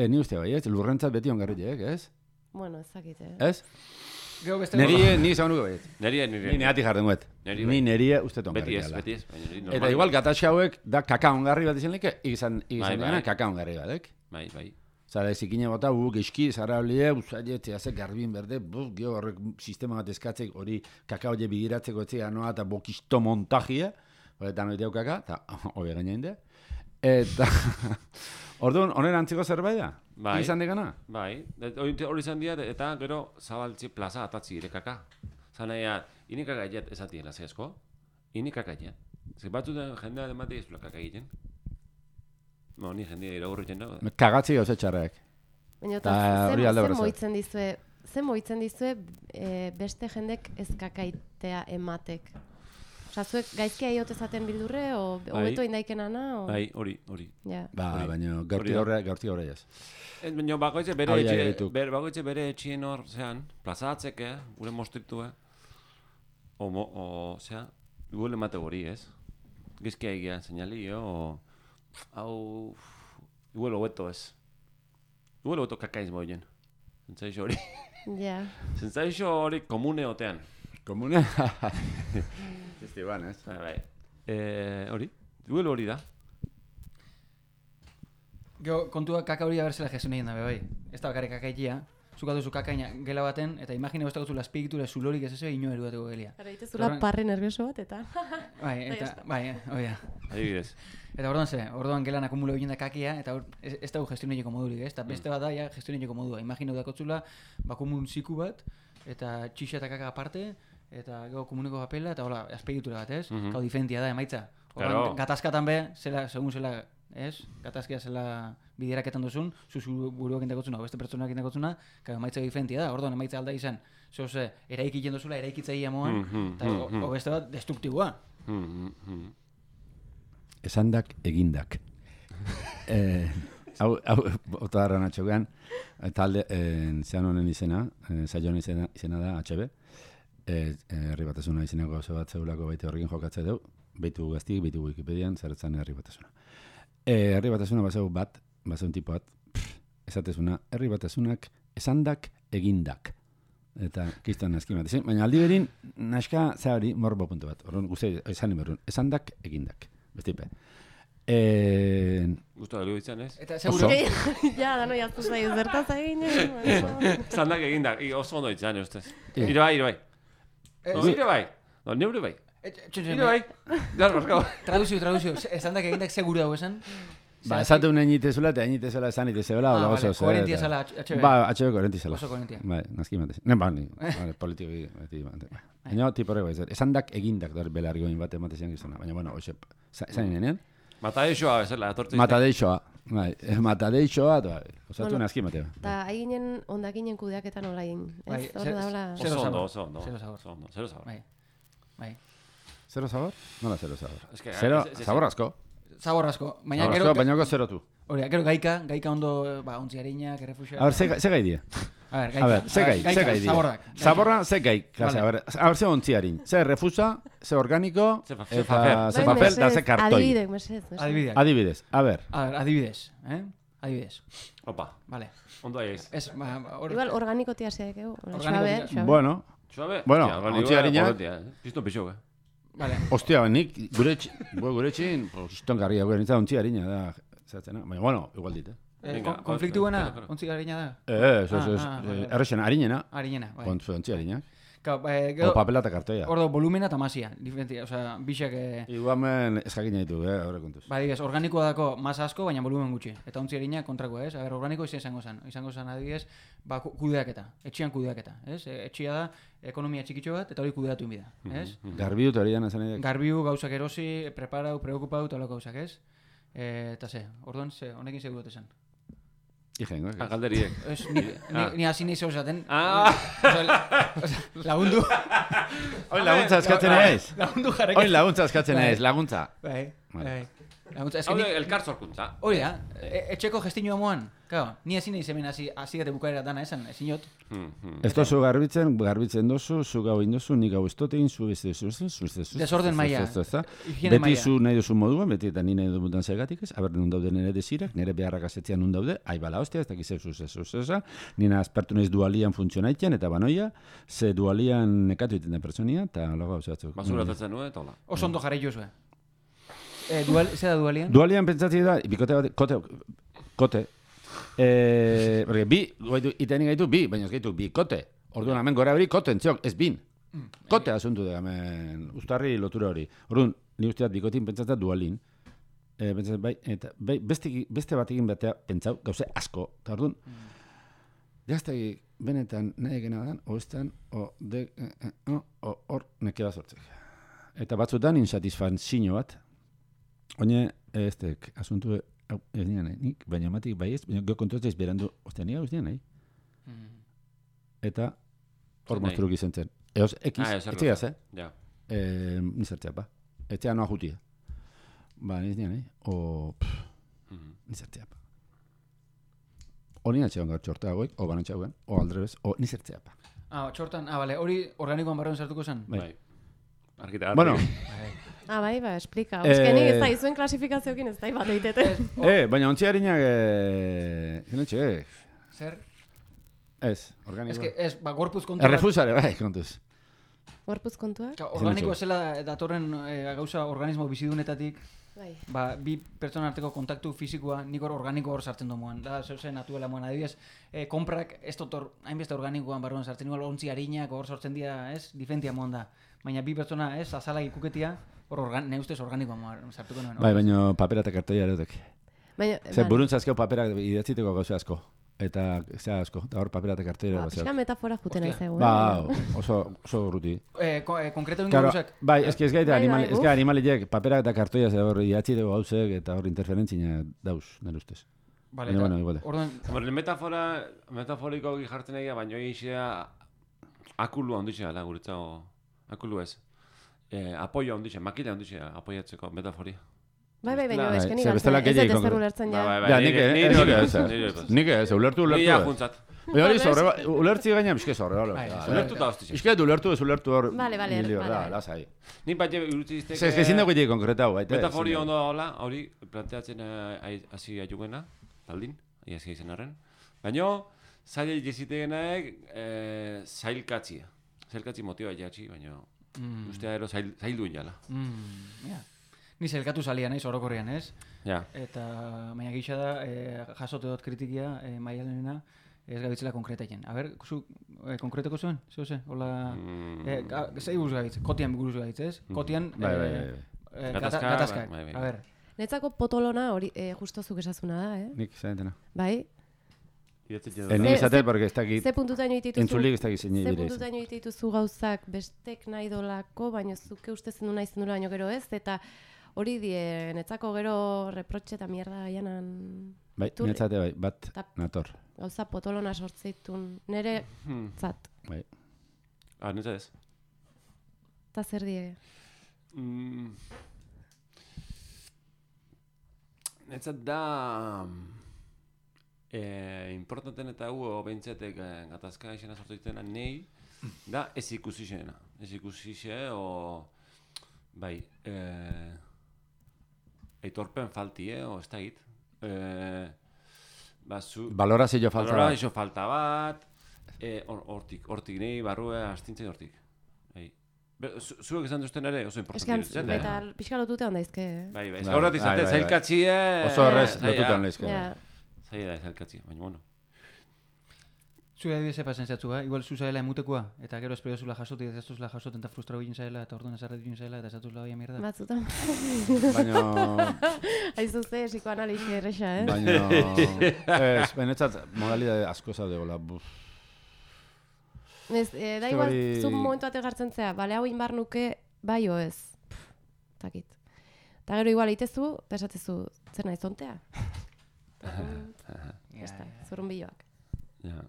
Ni uste bai, ez? Lurrentzat beti ongarri ere, ez? Bueno, ez dakit, Ez? Ni izan nuke bai. Ni neati jarden guet. Ni nerie uste ongarri dela. Beti ez. Eta igual gataxe hauek da kaka ongarri bat izan leke, izan dena kaka ongarri bat, Bai. Zara ezikine bota, geski, zara holie, usaile, teazek, garbin berde, gero horrek sistema bat eskatzek, hori kaka hori bigiratzeko etzea noa, eta bokisto montajia, horretan hori kaka, eta hori gaina inde. Eta, orduan, honen antziko zerbait da? Bai. Izan degana? Bai, hori izan dira, eta gero zabaltzi plaza atatzi ere kaka. Zanaia, inikaka egin ezatien lazeazko, inikaka egin. Zer batzu da jendea demate izula kaka egiten. No, ni jendea iragurritzen dago. Kagatzi gauze txarrak. Baina, ze moitzen dizue beste jendek ez kakaitea ematek? Osa, zuek gaizkia iote zaten bildurre, o hobeto indaikenana? Bai, hori. Baina, gaurti horre ez. Baina, bakoitze bere etxien hor, zean, plazatzeke, gure mostritu, zea, gure emate hori, ez? Gaizkia egia, seinalio, hau... Igual hobeto ez. Igual hobeto kakaiz moien. Zentzaixo hori. Ja. Zentzaixo hori komune otean. Komune? Estiban, ez? Bai. Hori? Duelo hori da. Gero, kontua kaka hori aberzela gestioneien dabe, bai. Ez da bakarrik kakaitia. Zuka duzu kakaina gela baten, eta imagina besta gozula azpigitura zulorik ez ezea ino eruatuko gelia. Gara, itezula parre nervioso bat, eta... Oia. Adibidez. Eta orduan gelan akumulo egin da kakia, eta ez dago gestioneiko modurik, ez? Eta beste bat da, ja, gestioneiko modua. Imagina dakotzula, bakumun ziku bat, eta txixa eta kaka aparte, eta gero komuneko papela, eta hola, azpigitura bat, ez? Kau diferentia da, emaitza. Orduan, gatazkatan be, segun zela, ez? Gatazkia zela bideraketan duzun, zuzu buruak indakotzuna, beste pertsonak indakotzuna, emaitza diferentia da, orduan emaitza alda izan, zoze, eraikiten duzula, eraikitzaia moan, eta beste bat, destruktiboa. Esandak egindak. Hau, otadarra natxogean, talde, zean honen izena, zailo honen izena da, HB, herri batasuna izeneko oso bat zeulako baite horrekin jokatze deu, beitu gaztik, beitu Wikipedian, zerretzan herri batasuna. Herri batasuna baseu bat, baseu tipo bat, esatezuna, herri batasunak esandak egindak. Eta kistan nazkin bat. Baina aldi berin, naska zehari morbo puntu bat. Horren guzti esan imerun, esandak egindak. Bestipe. Gusto da izan, ez? Eta seguro... Ja, dano jaztu zai, zertaz egin. Esandak egindak, oso ondo izan, ustez. Iro bai. Iro bai. Neure bai. Iro bai. Traduzio. Esandak egindak seguro hau esan? Ba, esate un eñitezula eta eñitezela esan itezela, hola oso. Koherentia zela HB. Ba, HB koherentia zela. Oso koherentia. Bai, nazki matez. Vale, politikoki beti bate. Baina tipo horrego ez. Esandak egindak da belargoin bat ematezian gizona. Baina bueno, hoxe. Zain nenean? Matadeixoa bezala etortzen. Matadeixoa. Bai, matadeixoa da. Osatu nazki matea. Ta hainen hondakinen kudeaketan olain. Ez hor da hola. Oso ondo. Zero sabor. Bai. Zero sabor? Nola zero sabor? Zero sabor asko. Zabor asko. Baina gero zerotu. Hori, gero gaika ondo, ontzi harinak, errefuxioak. A ver, ze gai dia? A ver, ze gai dia? Zaborra, ze gai. A ver, ze ontzi harin. Ze refusa, ze organiko, eta ze papel, da ze kartoi. Adibidez. A ver. Adibidez. Adibidez. Opa. Vale. Ondo aiz. Igual organiko tia zeak egu. Bueno, ontzi harinak. Pizto pixo, Vale. Ostia, nik gure txin, poston garria gure nintza ontzi harina da, zeratzena. Baina, bueno, igual dit, konfliktu buena, ontzi harina da? Errexena, harinena. Harinena, bai. Ontzi harinak. O papela eta kartoia. Ordo, volumena eta masia, diferentia, osea, bixak... Iguamen eskakina ditu, horre kontuz. Ba, digez, organikoa dako masa asko, baina volumen gutxi. Eta ontzi harina kontrakoa, ez? A ber, organiko izango zen, adibidez, ba, kudeaketa, etxian kudeaketa, ez? Etxia da, ekonomia txikitxo bat, eta hori kudeatu inbida, ez? Garbiu eta hori dana zen edek. Garbiu, gauzak erosi, preparau, preokupau, eta gauzak, ez? Eta orduan, honekin segu dut esan. Ijengo, ez? Galderiek. Ni hasi nahi zauzaten. Lagundu. Oin laguntza eskatzen ez? Lagundu jarrekin. Oin laguntza eskatzen ez, laguntza. Bai. Hau elkar zorkuntza. Hori da, etxeko gestinua moan. Claro, ni hasi nahi zemen hasi gate bukaera dana esan, ezinot. Ez dozu garbitzen dozu, zu gau indozu, nik gau estotein, zu beste desorden maila. Beti zu nahi duzu moduan, beti eta ni nahi duzutan zegatik ez, aber nun daude nire desirak, nire beharrak asetzean nun daude, aibala hostia, ez dakiz zuzesa, nina aspertu nahiz dualian funtzionaiten, eta banoia, ze dualian nekatu iten da pertsonia, eta logo hau zehatzuk. Basuratatzen nuen, eta hola. Oso ondo jarri jozue. Zer da dualian? Dualian pentsatzi da, bikote bat, kote. Porque bi, itenik gaitu bi, baina ez gaitu bi kote. Orduan, hemen gora hori kote entziok, ez bin. Kote asuntu da, hemen, ustarri lotura hori. Orduan, ni usteat bikotin pentsatzen dualin. Pentsatzen bai, eta beste bat egin batea pentsau, gauze asko. Eta orduan, jaztegi benetan nahi egena dan, oestan, hor nekeba sortzek. Eta batzutan insatisfazio bat. Oine, ez dek, asuntu ez nina nahi, nik, baina matik bai ez, baina gero kontuatzeiz berandu, ostia, nik hau ez nina nahi. Eta hor monstruk izan zen. Eoz, etxeaz, nizartzea, ba. Etxea noa jutia. Ba, ez nina nahi. Nizartzea, ba. O nina txean gaur txorteagoik, o banan txauen, o aldrebez, o nizartzea, ba. Txortan, bale, hori organikoan barroan sartuko zen? Bai. Bueno. Bai, explika. Euskenik ez da, izuen klasifikazioekin ez da, bat eitete. Baina ontzi harinak... Zer? Ez, organikoa. Ez, gorpuz kontua... Errefusare, bai, kontuz. Gorpuz kontua? Organikoa zela datorren gauza organismo bizidunetatik... Ba, bi pertsona arteko kontaktu fisikoa nik hor organiko hor sartzen domoan. Da, zeuzen natuela moan. Adibidez, konprak ez dotor hainbeste organikoan barruan sartzen, igual ontzi harinak hor sortzen dira, ez? Diferentia moan da. Baina bi pertsona, ez? Azala ikuketia, hor ne ustez organikoa moan sartuko nuen. Bai, baina papera eta kartoia erotek. Baina, Buruntzazkeo paperak idatziteko gauza asko. Eta zea asko, eta hor papera eta kartoia erotek. Pixka metafora juten nahi zaigu. Ba, oso ruti. Konkreto ingo Claro, gauzak. bai, ez que animaliek paperak eta kartoia ze hor idatziteko gauzek eta hor interferentzina dauz, nire ustez. Vale, bueno, igual. Orduan, metaforiko jartzen egia, baina egin akulu handitxea da guretzago, akulu ez. Apoio handitxea, makila handitxea apoiatzeko metaforia. Bai, baina esken ze bestela ez gehiago zer ulertzen ja. Ja, nik ez, ulertu. Ni ajuntzat. Baina hori ulertzi gaina, bizke zorre. Ulertu da hostia. Bizke ulertu hor. Vale, lasai. Ni bat irutzi iztek. Ez ezin dago ide konkretau, baita. Metaforia ondo hola, hori planteatzen hasi aiugena, taldin, hasi izen arren. Baina zaila jezitegenaek zailkatzia. Zailkatzi motiba jatzi, baina ustea ero zaildu inala. Ni zelkatu salia naiz orokorrean, ez? Ja. Eta baina gisa da, jasote dut kritikia Maialenena, ez gabitzela konkretaien. A ber, zu konkreteko zuen? Zeuze? Hola, zei buruz gabitz? Kotian buruz gabitz, ez? Kotian, gatazkak. A ber. Netzako potolona hori justo zuk esazuna da, Nik zaentena. Bai? Nik izate, porque ez dakit... Ze puntutaino dituzu... Entzulik ez dakit zein Ze bidez. puntutaino dituzu gauzak bestek nahi dolako, baina zuke uste zendu nahi zendu baino gero ez, eta hori die, netzako gero reprotxe eta mierda janan... Bai, netzate bai, bat nator. Gauza potolona sortzeitun, nere zat. Bai. Netzat ez. Eta zer die? Netzat da... importanten eta hu behintzetek gatazka izena sortu ditena nahi da ez ikusixena. Ez ikusixe o... Bai... Aitorpen falti, o ez da hit. Valorazio falta bat. Valorazio falta bat. Hortik nahi, barrue astintzen hortik. Zuek esan duzten ere oso importante ditzen, eta pixka lotute handaizke, Bai, horret izate, zailkatzie... Oso horrez lotutan lehizke. Zaila da zailkatzie, baina bueno. Zure adibidez epazen zatzu, igual zu zaila emutekoa, eta gero espero zula jasoti, ez zuzula jasoten eta frustrau egin zaila, eta orduan ezarret egin zaila, eta zatuzula baina mierda. Batzutan. Baina... Aizu ze, psikoanalizi erresa, Baina... Benetzat, modalidade asko zaude gola. Da igual, zu momentu bate gartzen zea, bale hau inbar nuke, bai o ez. Takit. Eta gero igual itezu, eta esatezu, zer nahi zontea? Zorun biloak. Ja.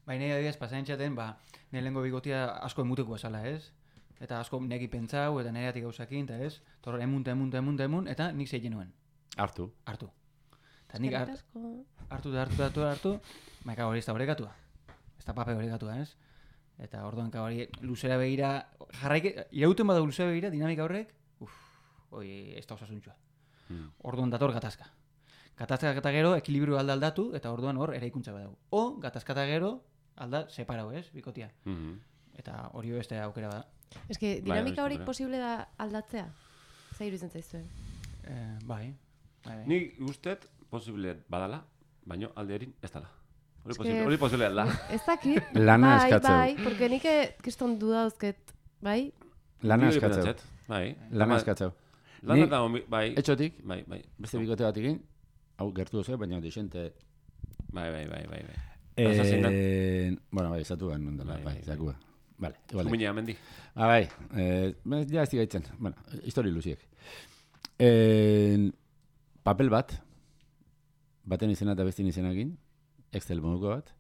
Baina adibidez, pasain txaten, nire lehenko bigotia asko emutekoa esala, ez? Eta asko neki pentsau, eta nire atik gauzakin, eta ez? Torro emun, eta nik zeiten nuen. Hartu. Eta nik hartu, maika hori ez da horrekatua. Ez da pape horrekatua, ez? Eta orduan hori luzera begira, irauten bada luzera begira, dinamika horrek, ez da osasuntxua. Orduan dator gatazka. Gatazka eta gero, ekilibrio aldatu, eta orduan hor eraikuntza badago. O, gatazka eta gero, alda separau, ez, bikotia. Eta hori beste aukera bada. Ez que, dinamika horik posible da aldatzea? Zairu izan zaizuen? Bai. Nik ustet posible badala, baina alde erin ez dala. Hori posible da. Ez dakit. Lana eskatzeu. Bai, porque nik kiston dudauzket, bai? Lana eskatzeu. Lana eskatzeu. Lana da, bai. Etxotik, bai. Beste bikote bat egin, hau gertu duzu, baina desente... Bai. Bueno, bai, zatu behar nondela, bai, zakua. Vale, igual. Zumina, mendi. Bai, ja ez digaitzen, bueno, histori luziek. Papel bat, baten izena eta bestin izenakin, Excel moduko bat,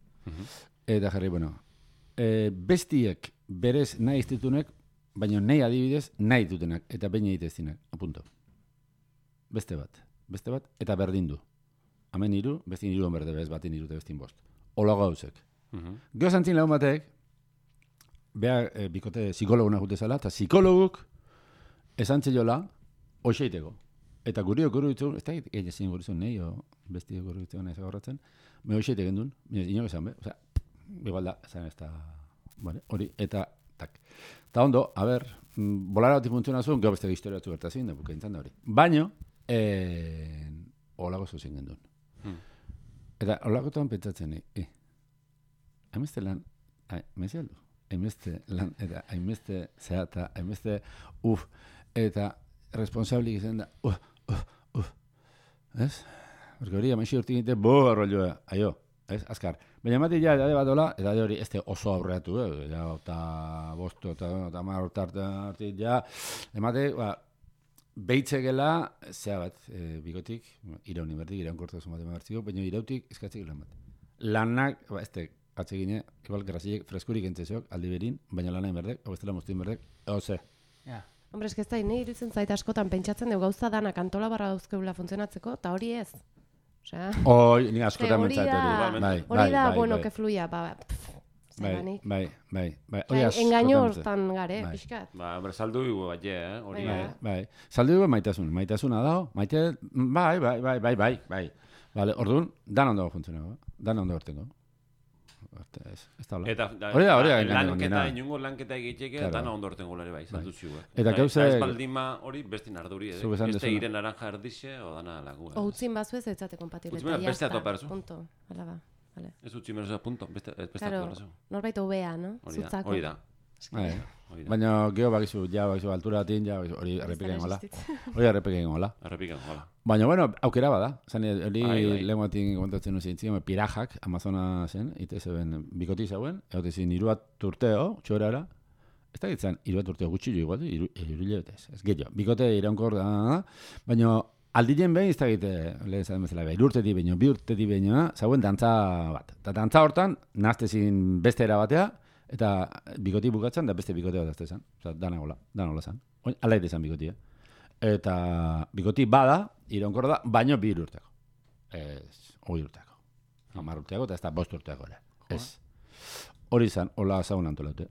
eta jarri, bueno, bestiek berez nahi iztitunek, baina nahi adibidez nahi dutenak, eta baina egiteztinak, apunto. Beste bat, eta berdin du. Hemen iru, bestin iru berde bez, batin iru eta bestin bost. Ola gauzek. Gero zantzin lagun batek, beha bikote psikologuna jutezala, eta psikologuk esan txelola, hoxeiteko. Eta guri okurritzen, ez da egin guritzen nahi, o besti okurritzen nahi zagorratzen, me hoxeite gendun, inok esan, osea, igual da, esan ez da, hori, eta Eta ondo, a ber, bolara bati funtzionatu zuen, gero beste historia batzu gertazin, da bukaintzan da hori. Baina, holako zuzen gendun. Eta holakotan pentsatzen, hainbeste lan, mezi aldu, hainbeste lan, eta hainbeste zehata, hainbeste eta responsablik izan da, ez? Porque hori, amaixi urtik egite, arrollua, aio, ez? Azkar. Baina emate ja, edade bat dola, edade hori ez oso aurreatu, ja, eta bosto, eta mar hartit, ja, emate, behitzegela, zea bat, bigotik, irauni berdik, iraunkortasun bat emartziko, baina irautik eskatzek lan bat. Lanak, atzegine, igual, grazilek freskurik entzesok, aldi berin, baina lanain berdek, hau bestela moztin berdek, ze. Ja. Hombre, ez da, nahi iruditzen zait askotan pentsatzen dugu gauza danak antola barra dauzkeula funtzionatzeko, eta hori ez. Osea, Ni askotan mentzat hori. Hori da, bueno, que fluya, Bai. Engaño hortan gare, pixkat. Hombre, saldu dugu bat, hori. Bai. Saldu dugu maitasuna dago, maite, bai. Vale, orduan, dan ondo funtzionatu, dan ondo hortengo. Ez da hola. Hori da, lanketa, inungo lanketa egiteke, dana ondo horten gulare bai, saldu zigu. Eta gauze... Ez baldima hori bestin arduri, beste iren naranja erdixe, o dana lagu. O utzin bazu ez etzate kompatible. Utzimena beste atoparzu. Punto, ala ba. Ez utzimena punto, beste atoparzu. Norbait obea, no? Zutzako. Hori da. Baina geho bakizu, altura batin, hori errepikain gola. Hori errepikain gola. Baina, bueno, aukera bada. Zane, hori lehen batin kontatzen nuzien ziren, pirajak, Amazona zen, ite zeben bikoti zauen, egote zin, 2 urteo, txorara, ez da gitzen, 2 urteo gutxi jo igual, 3 hilabetez, ez gehiago. Bikote iraunkor da, baina aldien behin ez da gite, lehen zaten bezala, 3 urtetik baino, 2 urtetik baino, zauen dantza bat. Eta dantza hortan, nahaztezin beste era batea, eta bikoti bukatzen, da beste bikote bat azte zen. Osa, dana hola zen. Ala ite zen bikotia. Eta bikoti bada, iraunkor da, baino 2 urteko. Ez, 20 urteko. 10 urteko, eta ez da 5 urteko ere. Ez. Hori zen, hola zaun antolaute.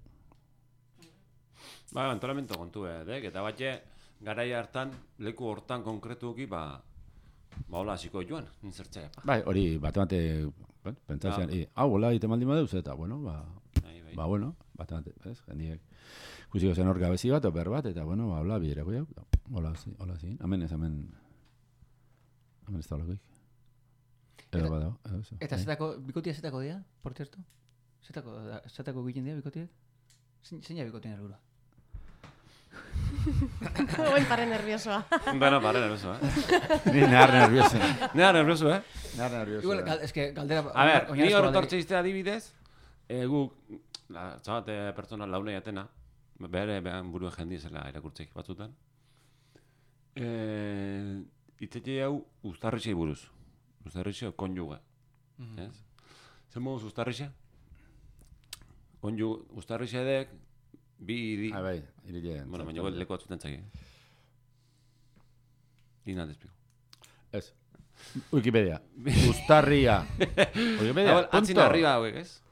Antolamento kontu, eta batxe, garai hartan, leku hortan konkretuki, hola hasiko joan, nintzertzea. Bai, hori, bate, pentsatzean, hola, ite maldin badeuz, eta, bueno, bueno, bastante, ¿ves? Jendiek kusiko zen hor gabezi bat, oper bat, eta, bueno, hola, biderako jau. Hola, zin. Hemen ez da holakoik. Edo badago, edo zo. Eta bikotia zetako dira, por cierto? Zetako egiten dira bikotiek? Zein bikotien helburua? Oin pare nerviosoa. Bueno, pare nerviosoa, Ni nahar nervioso. Nahar nervioso, Nahar nervioso. Igual, es que galdera... A ver, ni hor tortxe izte adibidez, guk, zabate pertsona launei atena, bere buruen jendi zela erakurtzeik batzutan. Itzete hau uztarritxei buruz. Uztarritxe konjuga. Zer moduz uztarritxe? Uztarritxe edek, bi... Bai, irile. Bueno, baina leku batzuten txaki. Ina despiko. Ez. Wikipedia. Uztarria. Wikipedia. Atzin arriba hauek, ez?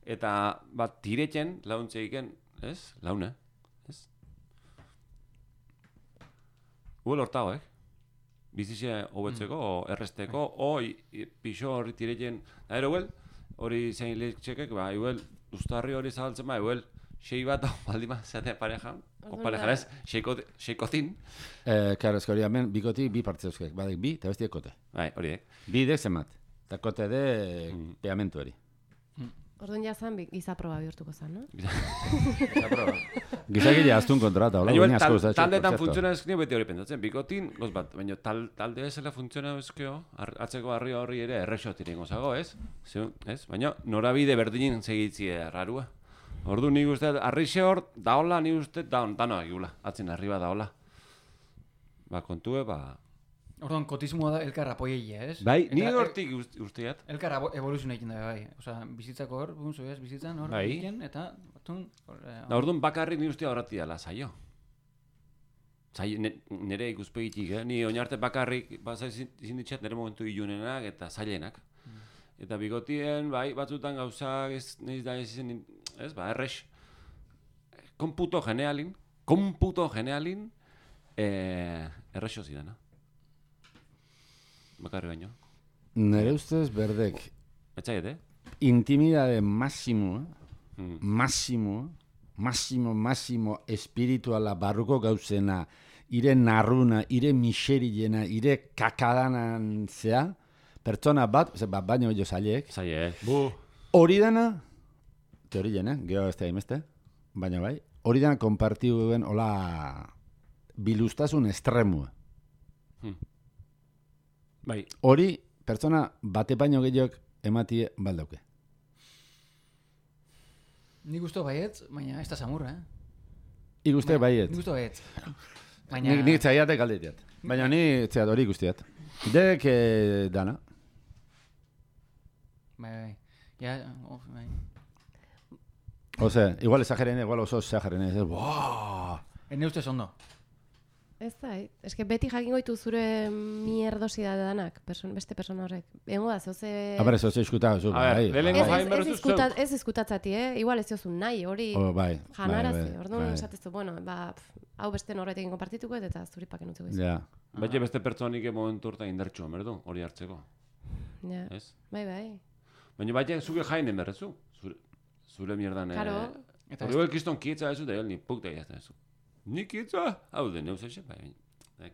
Eta bat tiretzen launtze iken, ez? Laune, ez? Huel hortago, bizixe hobetzeko, o erresteko, o pixo horri tiretzen. Da ero hori zein lehtxekek, huel uztarri hori zabaltzen huel sei bat baldima zeatea pareja, o pareja ez, seikotin. Claro, ez hori hemen bikotik bi parte euskek, badek bi, eta bestiek kote. Bai, hori Bi dek zemat, eta kote de peamentu eri. Orduan jazan gizaproba bihurtuko zen, no? Gizakile aztun kontrata, hola, guine asko ez da. Taldeetan funtziona ezkio beti hori pentsatzen, bikotin, goz bat, baina talde ezela funtziona ezkio, atzeko harri horri ere errexotin ingo zago, ez? Baina norabide berdinin segitzi errarua. Ordu nik uste, arrixe hor, daola, nik uste, danoak gula, atzin arriba daola. Kontue, Orduan, kotismoa da elkarra apoieia, ez? Bai, ni hortik usteat. Elkarra evoluzioa egiten da, bai. Osa, bizitzako hor, bizitzan hor, egiten, eta... Orduan, bakarrik ni ustea horrati dela, zaio. Nire ikuspegitik, ni oinarte bakarrik, izin ditxat nire momentu ilunenak eta zailenak. Eta bigotien, bai, batzutan gauzak ez da izan, ez, errex. Komputo genealin, errexo zidana. Bakarri baino. Nere ustez berdek Etxaiet, intimidade máximo, masimo espirituala barruko gauzena, ire narruna, ire miserilena, ire kakadanan zea, pertsona bat, baino jo zailek, hori dana, teorien, geho ez da imeste, baina bai, hori dana konpartiu duen hola bilustasun estremua. Bai. Hori, pertsona bate baino gehiok ematie baldauke. Nik uste baietz, baina ez da samurra, Ik uste baiet. Nik uste baietz. Baina... Nik zaiatek aldetiat. Baina ni zeat hori guztiat. Dek dana. Bai. Ja, bai. Ose, igual exagerene, igual oso exagerene. Buah! Ne ustez ondo. Ez da, eske beti jakingo ditu zure mierdosi da danak, beste persona horrek. Egongo da, zoze... Abare, zoze iskuta, zu, bai. Ez izkutatzati, igual ez diozun nahi, hori janarazi. Orduan esatezu, bueno, hau beste norretekin konpartituko eta zuri paken utziko izu. Ja. Baina beste pertsonik momentu horta indartxo, merdu, hori hartzeko. Ja, bai. Baina baina zuke jainen berrezu, zure mierdan... Karo. Hori kiston kietza ezu, da ni puk da jazta ezu. Ni kietza, hau den neuz eze, bai,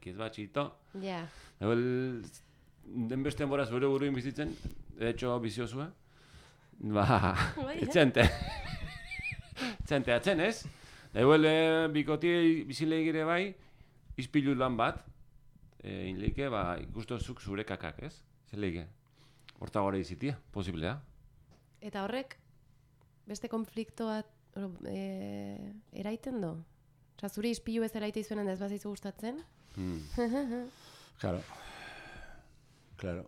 kietz bat txito. Ja. Den beste enbora zure buruin bizitzen, etxo biziozua. Etxente. Etxente, atzen ez? Da bikotie bizileigire bai, izpilu lan bat, inleike, ikustozuk zure kakak, ez? Zeleike. Horta gore izitia, posiblea. Eta horrek, beste konfliktoa eraiten do? Osa, zure izpilu ez eraite izuenen ez bazaizu gustatzen? Claro. Claro.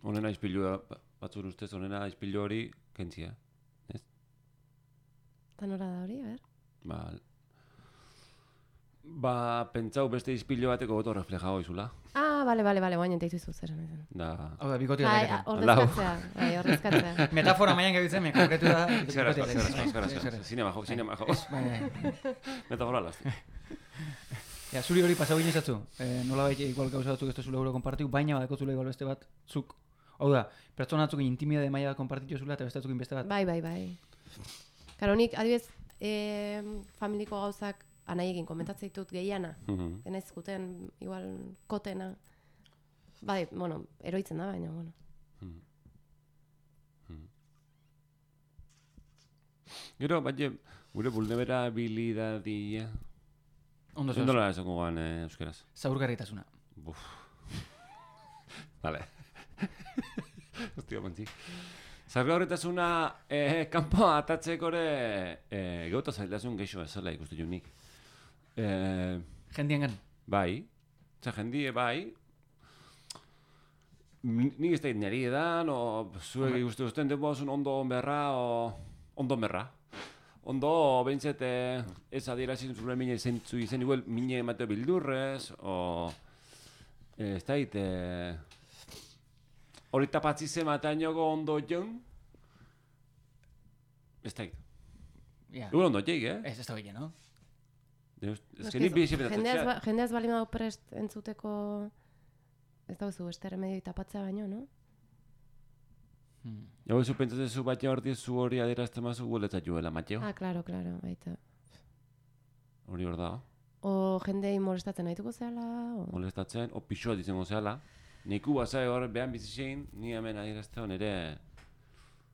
Honena izpilu batzur ustez, honena izpilu hori kentzia, ez? Eta nora da hori, ber? Pentsau beste izpilu bateko goto reflejago izula. Bale, guain enteitu izu zer. Hau da, bikotia da. Ordezkatzea. Metafora maian gabitzen, me konkretu da. Eskerra. Zinema jo. Metafora lasti. Zuri hori pasau ginen zatzu. Nola baita igual gauza batzuk ez da zule euro konpartiu, baina badako zule igual beste bat, zuk. Hau da, pertsona batzuk intimidade maila konpartitu zula eta beste batzuk beste bat. Bai. Karo, nik adibidez, familiko gauzak anaiekin komentatzen ditut gehiana. Enaiz guten, igual, kotena. Bai, bueno, eroitzen da, baina, bueno. Gero, baina, gure vulnerabilidadia... Ondo zehaz. Zendola esako goan euskeraz? Zaurgarritasuna. Vale. Hostia, montzik. Zaurgarritasuna kanpo atatzekore gauta zailasun geixo ezala ikustu junik. Jendien gan? Bai. Jendie bai. Nik ez da niri edan, o zuek ikustu duzten denbozun ondo berra, o ondo berra. Ondo, behintzet, ez adierazin zure mine zentzu izen, igual mine emateo bildurrez, o... Ez da hit, hori tapatzi zematainoko ondo joan, ez da hit. Igual ondo jeik, Ez da hile, no? Ez que nik bizi petatzen. Jendeaz bali mago prest entzuteko, ez dauzu, beste remedio tapatzea baino, no? Jau ezu pentsatzen zu baina horti zu hori adierazten mazu guletzat juela, Mateo. Claro, baita. Hori hor da. O jendei molestatzen nahituko zehala? Molestatzen, o pixoa dizengo zehala. Niku bazai hor behan bizitzein, ni hemen adierazten ere...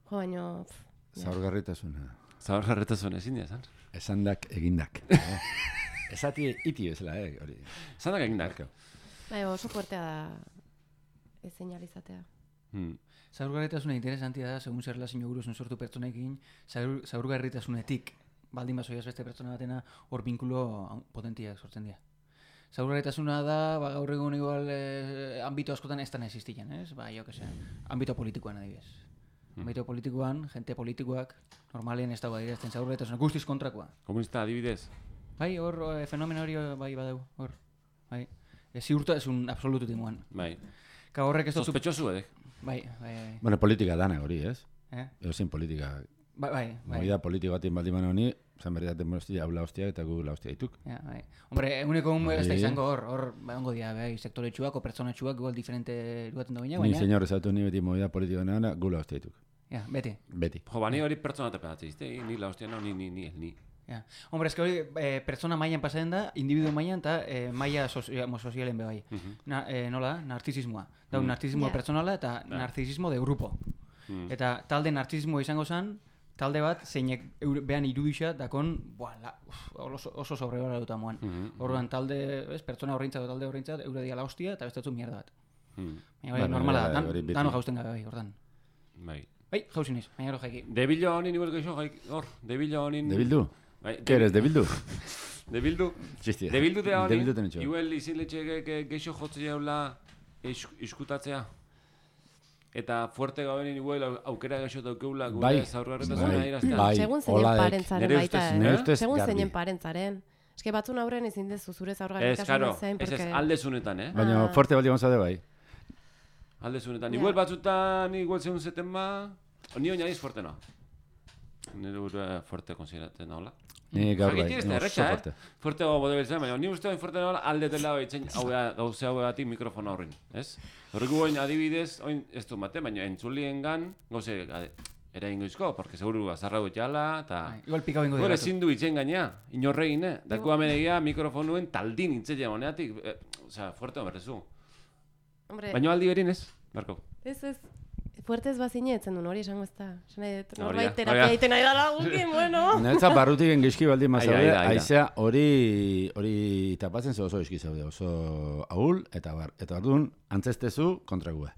Jo, baino... Zaurgarritasuna. Zaurgarritasuna, ezin diazan? Esandak egindak. Esati iti bezala, hori. Esandak egindak. Bai, oso fuertea da ez señalizatea. Zaurgarritasuna interesantia da, segun zer relazio guruzun sortu pertsonekin, zaurgarritasunetik baldin bazoiaz beste pertsona batena hor binkulo potentiak sortzen dira. Zaurgarritasuna da, gaur egun igual ambito askotan ez da existian, ez? Jo que sea, ambito politikoan adibidez. Ambito politikoan, jente politikoak, normalen ez dago adierazten zaurgarritasuna, guztiz kontrakoa. Komunista adibidez? Bai, hor fenomeno hori bai badau, hor. Bai. Ziurta ez un absolutu timuan. Bai. Ka horrek ez dut... Sospechosu edek. Bai. Bueno, politika dana hori, ez? Ezin politika. Bai. Movida politiko batin baldiman honi, zan berriaten hostia, haula hostia eta gu la hostia dituk. Bai. Hombre, eguneko ez da izango hor, ongo dia, bai, sektoretxuak o pertsonetxuak igual diferente duaten da baina. Ni señor esatu ni beti movida politiko nana, gu la hostia dituk. Ja, beti. Beti. Jo, bani hori pertsona tapeatzen, izte, ni la hostia no, ni. Ja. Hombre, eske hori pertsona mailan pasatzen da, individu mailan eta maila sozialen be bai. Nola da? Narzisismoa. Da, narzisismo personala eta narzisismo de grupo. Eta talde narzisismoa izango zen, talde bat zeinek behan irudixa dakon, oso sobrebara duta moan. Orduan talde, pertsona horreintzat, talde horreintzat, eure diala hostia eta bestatzu mierda bat. Baina normala da, dano jausten gabe bai, ordan. Bai. Bai, jauzi niz, baina hori jaiki. Debildo honin igual geixo hor, debildo honin... ¿Debildu? Bai, ¿Qué eres, Debildu? Debildu? Txistia. Debildu de honin, Debildu tenetxo. igual iziletxe geixo jotze jaula iskutatzea. Eta fuerte gabenin igual aukera geixo daukeula gure zaurgarretasuna iraztea. Bai, segun zeinen hola parentzaren baita, segun garbi. zeinen parentzaren. Eske batzun aurren ezin dezu zure zaurgarritasuna zein, Ez aldezunetan, Baina fuerte baldi gonzade bai. Aldezunetan, igual batzutan, igual zeun zeten ba... Ni oinadiz fuerte no. Nire burua fuerte konsideratzen hola. Ni gaur bai, Jakiti ez da, oso erretxa, fuerte. Fuerte gogo debiltzen, baina ni uste fuerte nola aldetela baitzen gauze hau egatik mikrofona horrein, ez? Horreko goin adibidez, oin ez du mate, baina entzulien gan, gauze eraingo izko, porque seguru azarra gutxala, eta... Igual pikau ingo Gure ezin du itzen gaina, inorregin, Daku amenegia mikrofonuen taldin itzea moneatik, osea, fuerte berrezu. Baina aldi berin ez, Marko. Ez, fuertez bazine etzen duen hori esango ez da. Norbait Hori terapia da. egiten nahi dara gukin, bueno. Neretzat barrutik engizki baldi mazaude, Aira. aizea hori tapatzen ze oso eski zaude, oso ahul, eta bardun antzestezu kontrague.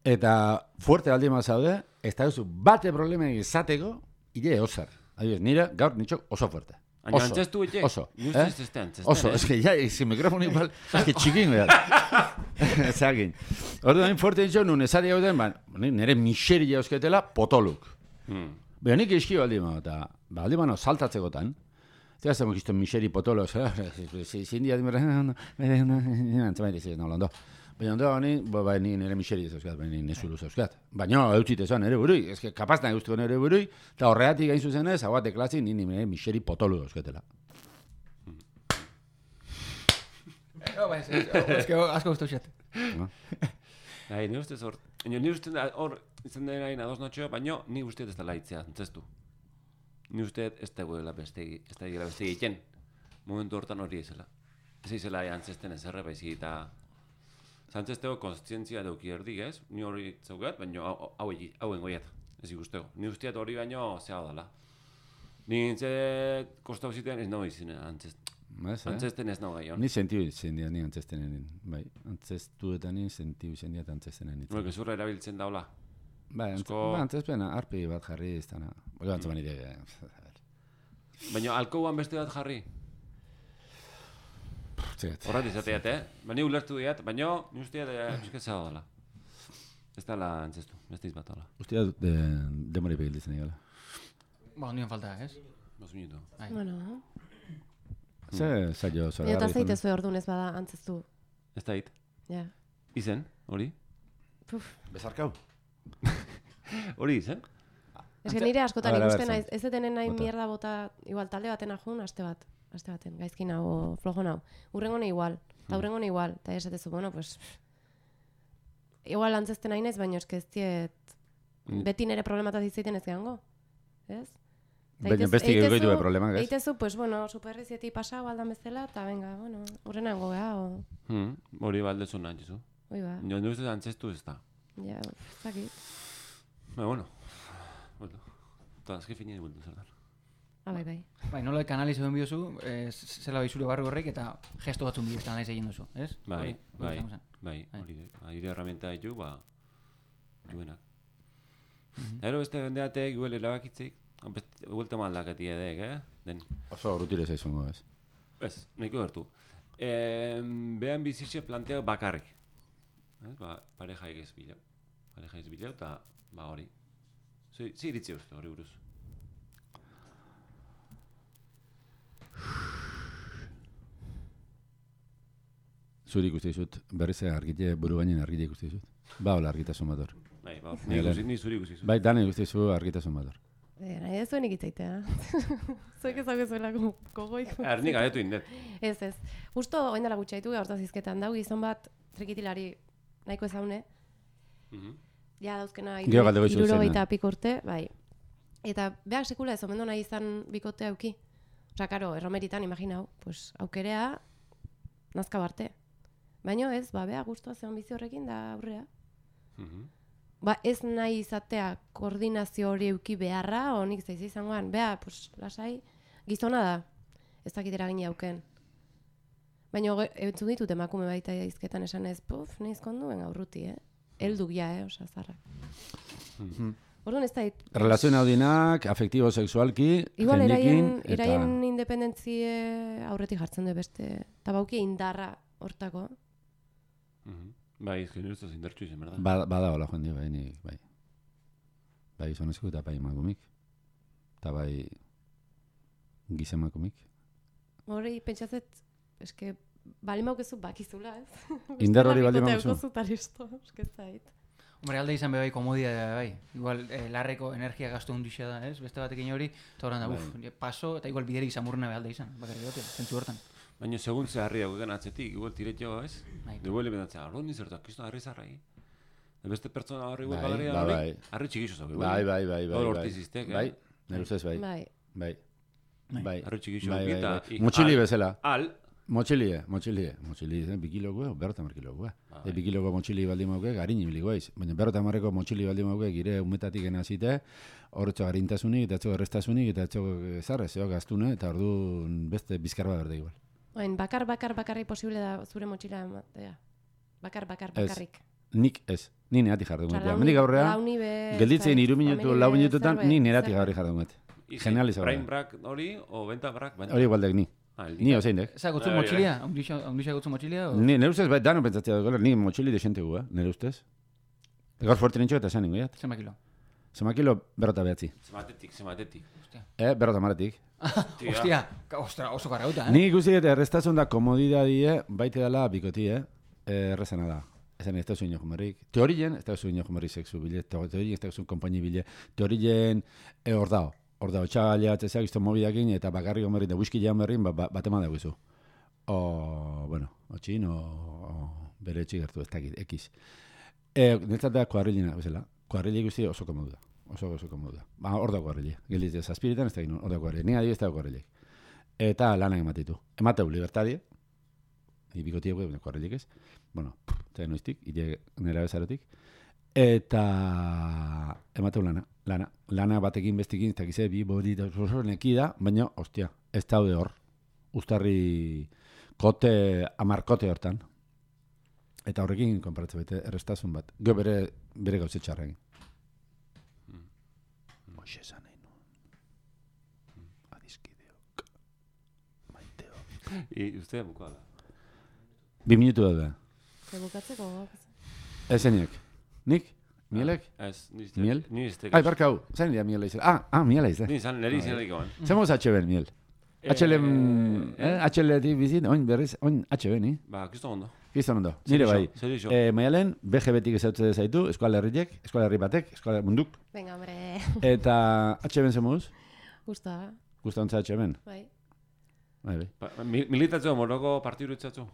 Eta fuerte aldi mazaude, ez da duzu bate problema izateko, ire osar. Adibidez, nire gaur nitxok oso fuerte. Baina antzestu etxe? Oso. Ni uste ez este antzesten, Oso, es que ya, ese micrófono igual, es que txikin behar. Ezagin. Orduan, fuerte ditxo, nun esari hau den, nire miseri jauzketela potoluk. Baina nik eski baldi mano, eta baldi mano saltatzekotan, eta zemo kiston miseri potolo, zindia dimera, antzamaite ziren nolando. Baina ondo, ni nire miseri zauzkat, baina nesulu zauzkat. Baina, eutzite zoan nire burui, ez que kapaz nahi guztiko nire burui, eta horregatik gain zuzenez, hau bat deklazi, nire miseri potolo zauzketela. Ez que asko guztu xet. Ni ustez hor, ni ustez hor izan den hain ados notxeo, baina ni ustez ez dela itzea, antzestu. Ni ustez ez da guela beste egiten. Momentu hortan hori ezela. Ez izela antzesten ez erre baizik eta... Zantzesteko konstientzia dauki erdik, ez? Ni hori zaugat, baina hauen goiat, ez ikusteko. Ni usteat hori baino zea dala. Ni nintzet kostau zitean ez nago izin antzesten ez nago gaion. Ni sentiu izan dira, ni antzestenen, bai. Antzestuetan ni sentiu izan dira eta antzestenen. Bueno, gezurra erabiltzen daula. Bai, antzespena, arpi bat jarri ez dana. Oga, antzeman ide. Baina alkouan beste bat jarri. Horrat izateat, Baina ulertu diat, baina ni usteat pizketza dala. Ez dala antzestu, beste izbat dala. Usteat demori begilditzen egala. Ba, ondien falta, ez? 2 minuto. Bueno. Ze zailo zoragarri. Eta zeite zuen orduan ez bada antzestu. Ez da hit. Ja. Izen, hori? Bezarkau. Hori izen? Ez que nire askotan ikusten naiz, ez etenen nahi Bota. mierda bota, igual talde baten ajun, aste baten, gaizkin hau, flojon hau. Urrengone igual, eta urrengone igual, eta esatezu, bueno, pues... Igual antzesten nahi naiz, baina eske ez diet... Beti nire problemataz izteiten ez gehango, ez? Baina besti gehiago du problemak, ez? Eitezu, pues bueno, superrizieti pasau aldan bezala, eta venga, bueno, urrenango geha, o... Hori baldezu nahi jizu. Oi ba, Jo, ni ustez antzestu ez da. ja, zakit. Bueno. Eta azke finien bultu zer da. Bai. Bai, nola kanaliz egin biozu, zela baizure barri horrek eta gesto batzun bidez kanaliz egin duzu, ez? Bai, Hori izango zen. hori da herramienta ditu, duenak. Ero beste bendeatek, guel erabakitzik, guelte maldaketi edek, Den. Oso rutire zaizungo, ez? Ez, nahiko gertu. Behan bizitxe planteak bakarrik. Pareja egez bilau. Eta, hori. Zer iritzi uste hori buruz? Zuri ikuste dizut, berriz argite, buru gainen argite ikuste dizut. Ba, hola, argitasun bat hor. Bai, ni zuri ikusi zu. Bai, dana ikuste dizu argitasun bat hor. Nahi ez zuen ikitzaitea. Zuek ezaguzuela gogoik. Nik adetu indet. Ez. Justo oin dela gutxaitu hortaz izketan dau, gizon bat trikitilari nahiko ezaune. ja dauzkena Gero galdeko izut zen, 70 piko urte, bai. Eta beak sekula ez omendu nahi izan bikote auki. Osa, karo, erromeritan, imaginau, pues, aukerea nazka barte. Baina ez, ba, bea guztua zeon bizi horrekin da aurrea. Ba, ez nahi izatea koordinazio hori euki beharra, honik zaiz izangoan, bea, pues, lasai, gizona da, ez dakit eragin auken. Baina entzun ditut emakume baita izketan esan ez, puf, nahiz konduen aurruti, Elduk ja, osa, zarrak. Orduan ez da... Relazioen audinak, afektibo sexualki, igual jendekin, eraien independentzie aurretik jartzen du beste, eta bauki indarra hortako. Bai, ezken ustez indartxu izan, berda? Bada hola joan dio, bai. Bai gizonezko eta bai emakumik. Eta bai gizemakumik. Hori, pentsatzet, eske, bali maukezu bakizula, ez? Indar hori bali maukezu. Eske zait. Hombre, alde izan bai komodia da, bai. Igual, larreko energia gastu hundixa da, ez? Beste batekin hori, eta horren da, paso, eta igual biderik izamurna bai alde izan. Bakarri gote, zentzu hortan. Baina segun ze harri dagoen atzetik, igual tiretxo, ez? Igual ebendatzea, arro nizertak, kisto harri zarrai. Beste pertsona horri igual galeria hori, harri txikixo zau. Bai. Hor ortiziztek, bai. Nire ustez, bai. Bai. Harri txikixo bai. Motxili bezala. Motxilie, 2 kilokoa, 50 kilokoa. 2 kiloko motxili baldin mauke, garini bilikoaiz. Baina 50ko motxili baldin mauke, gire umetatik enazite, horretxo garintasunik, eta etxo errestasunik, eta etxo zarrez, gaztune, eta ordu beste bizkarba berde igual. Oin, bakarrik posible da zure motxila ematea. Bakarrik. Nik ez, ni neatik jardun gaitea. Mendik aurrea, gelditzen 3 minutu, 4 minututan, ni neatik jarri jardun gaitea. Genializago. Brain brak hori, o benta brak? Hori igualdek ni. Ni ozeindek. Eza gotzu motxilia? Ondisa gotzu motxilia? Nire ustez, bai, dano pentsatzea dugu, ni motxili desente gu, nire ustez. Gaur fuerte nintxo eta esan ingoiat. Zema kilo? Zema kilo, berrota behatzi. Zematetik. Berrota maretik. Ostia, oso garrauta, Nik ikusi eta errestazun da komodidadie, baite dela bikoti, errezana da. Ezen ez da zuen jomerrik. Teorien, ez da zuen jomerrik sexu bile, teorien ez da zuen kompaini bile, teorien hor da, txagalea, atzeak, izto mobidakin, eta bakarrik omerrin, da whisky jean berrin, bat eman dago izu. Txin, bere etxik gertu, ez dakit, ekiz. Netzat da kuarrilina, bezala. Kuarrili guzti oso komodu da. Oso komodu da. Hor da kuarrili. Gildiz ez aspiritan, ez da gino, hor da kuarrili. Ni adibidez da kuarrili. Eta lanak ematitu. Emateu libertadie. Bikotiek, kuarrilik ez. Bueno, eta noiztik, nera bezarotik. Eta emateu lana batekin bestekin, ez dakize, bi bodi da neki da, baina, ostia, ez daude hor. Uztarri kote, amarkote hortan. Eta horrekin konparatzen bete, errestazun bat. Gero bere gauze txarra egin. Moixe esan egin nuen. Adizkideok. Maiteok. Ustea bukoa da. 2 minutu da. Bukatzeko? Ezeniek. Nik? Mielek? Ez, Miel? Ni ez Ai, barkau. Zain dira miela izan. Miela izan. Ni izan, neri izan egin. Zemoz HB miel. HL-etik bizit, oin berriz, oin HB, ni? Ba, kiston ondo. Kiston ondo. Nire bai. Zerixo. Maialen, BGB-tik ezautze zaitu, eskola herriek, eskola herri batek, eskola munduk. Venga, hombre. Eta HB-en zemuz? Gusta. Gusta ontza HB-en? Bai. Bai. Militatzeo moroko partidu itzatzu?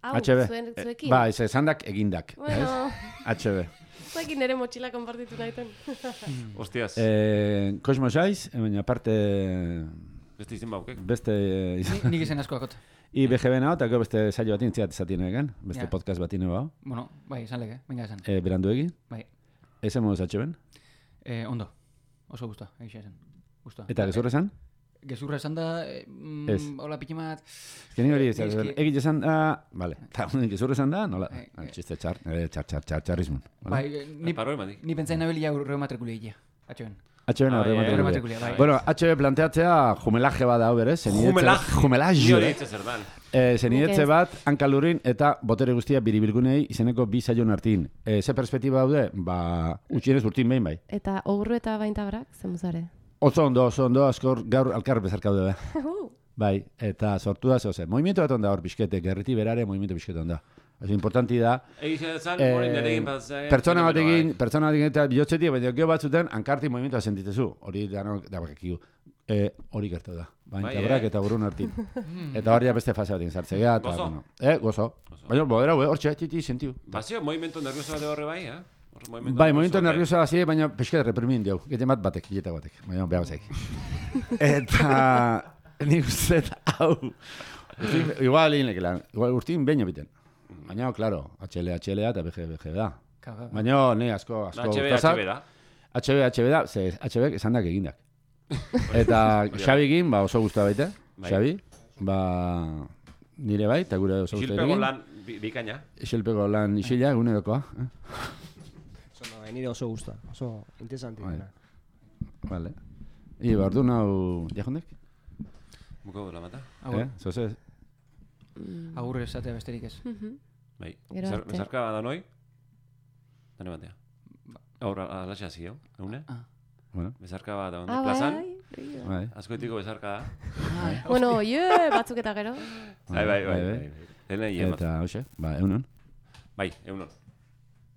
HB. Zuekin? Ba, zandak egindak. Bueno. HB. Zuekin nire motxila konpartitu nahiten. Hostias. Kosmos aiz, baina aparte... Beste izen baukek? Beste... Nik izen asko akot. BGB-na, eta gero beste saio batin ziat izatien egen, beste podcast batin eba. Bueno, bai, esan leke, venga esan. Berandu egin? Bai. Ezen moduz HB-en? Ondo. Oso gusta, egisa esan. Gusta. Eta gezurra esan? Gezurra esan da, hola pikimat... Ezkeni hori, egit esan da... Vale, eta gezurra esan da, nola? Txiste txarrismun. Bai, ni pentsain nabelia reumatrikulia egia, HB-en. HB-en reumatrikulia. Bueno, HB planteatzea jumelaje bat da, berez? Jumelaje. Ni hori etxe zer dan. Zenietze bat, hankalurin eta botere guztia biribilgunei izeneko 2 saion hartin. Ze perspektiba daude? Ba, utxienez urtin behin bai. Eta ogru eta baintabrak, zemuzare? Oso ondo, askor gaur alkar bezarkaude da. Bai, eta sortu da zoze. Movimiento bat onda hor bizkete, gerriti berare movimiento bizkete onda. Eso importanti da. Pertsona batekin eta bihotzetik, baina gero batzuten hankarti movimientoa sentitezu. Hori da bakakigu. Hori gertu da. Baintabrak eta burun hartin. Eta hori beste fase batin sartzea. Gozo? Gozo. Baina, bodera, hor txetiti sentiu. Bazio, movimiento nervioso bat horre bai, Bai, momentu nerviosa hasi, baina pixka reprimin diau. Gete batek, hileta batek. Baina behar zaik. Eta nik uste hau. Igual inekela. Igual urtin behin biten. Baina, klaro, HLA eta BG da. Baina, ne, asko. HB da. HB da, ze HB esan dak egindak. Eta Xabikin, oso guztua baita. Xabi, nire bai, eta gure oso guztua egin. Isilpeko lan bikaina. Isilpeko lan isila, egunerokoa. Nire oso guztua, oso interesanti. Vale. Ordu nau, jahondek? Buko dela mata. Zose? Agurre esatea besterik ez. Bai, bezarka da noi? Dane batea. Aurra, alaxea zi, eune? Bezarka bat da, plazan? Azkoetiko bezarka da. Bueno, batzuk eta gero. Bai. Eta, hoxe, egunon. Bai, egunon.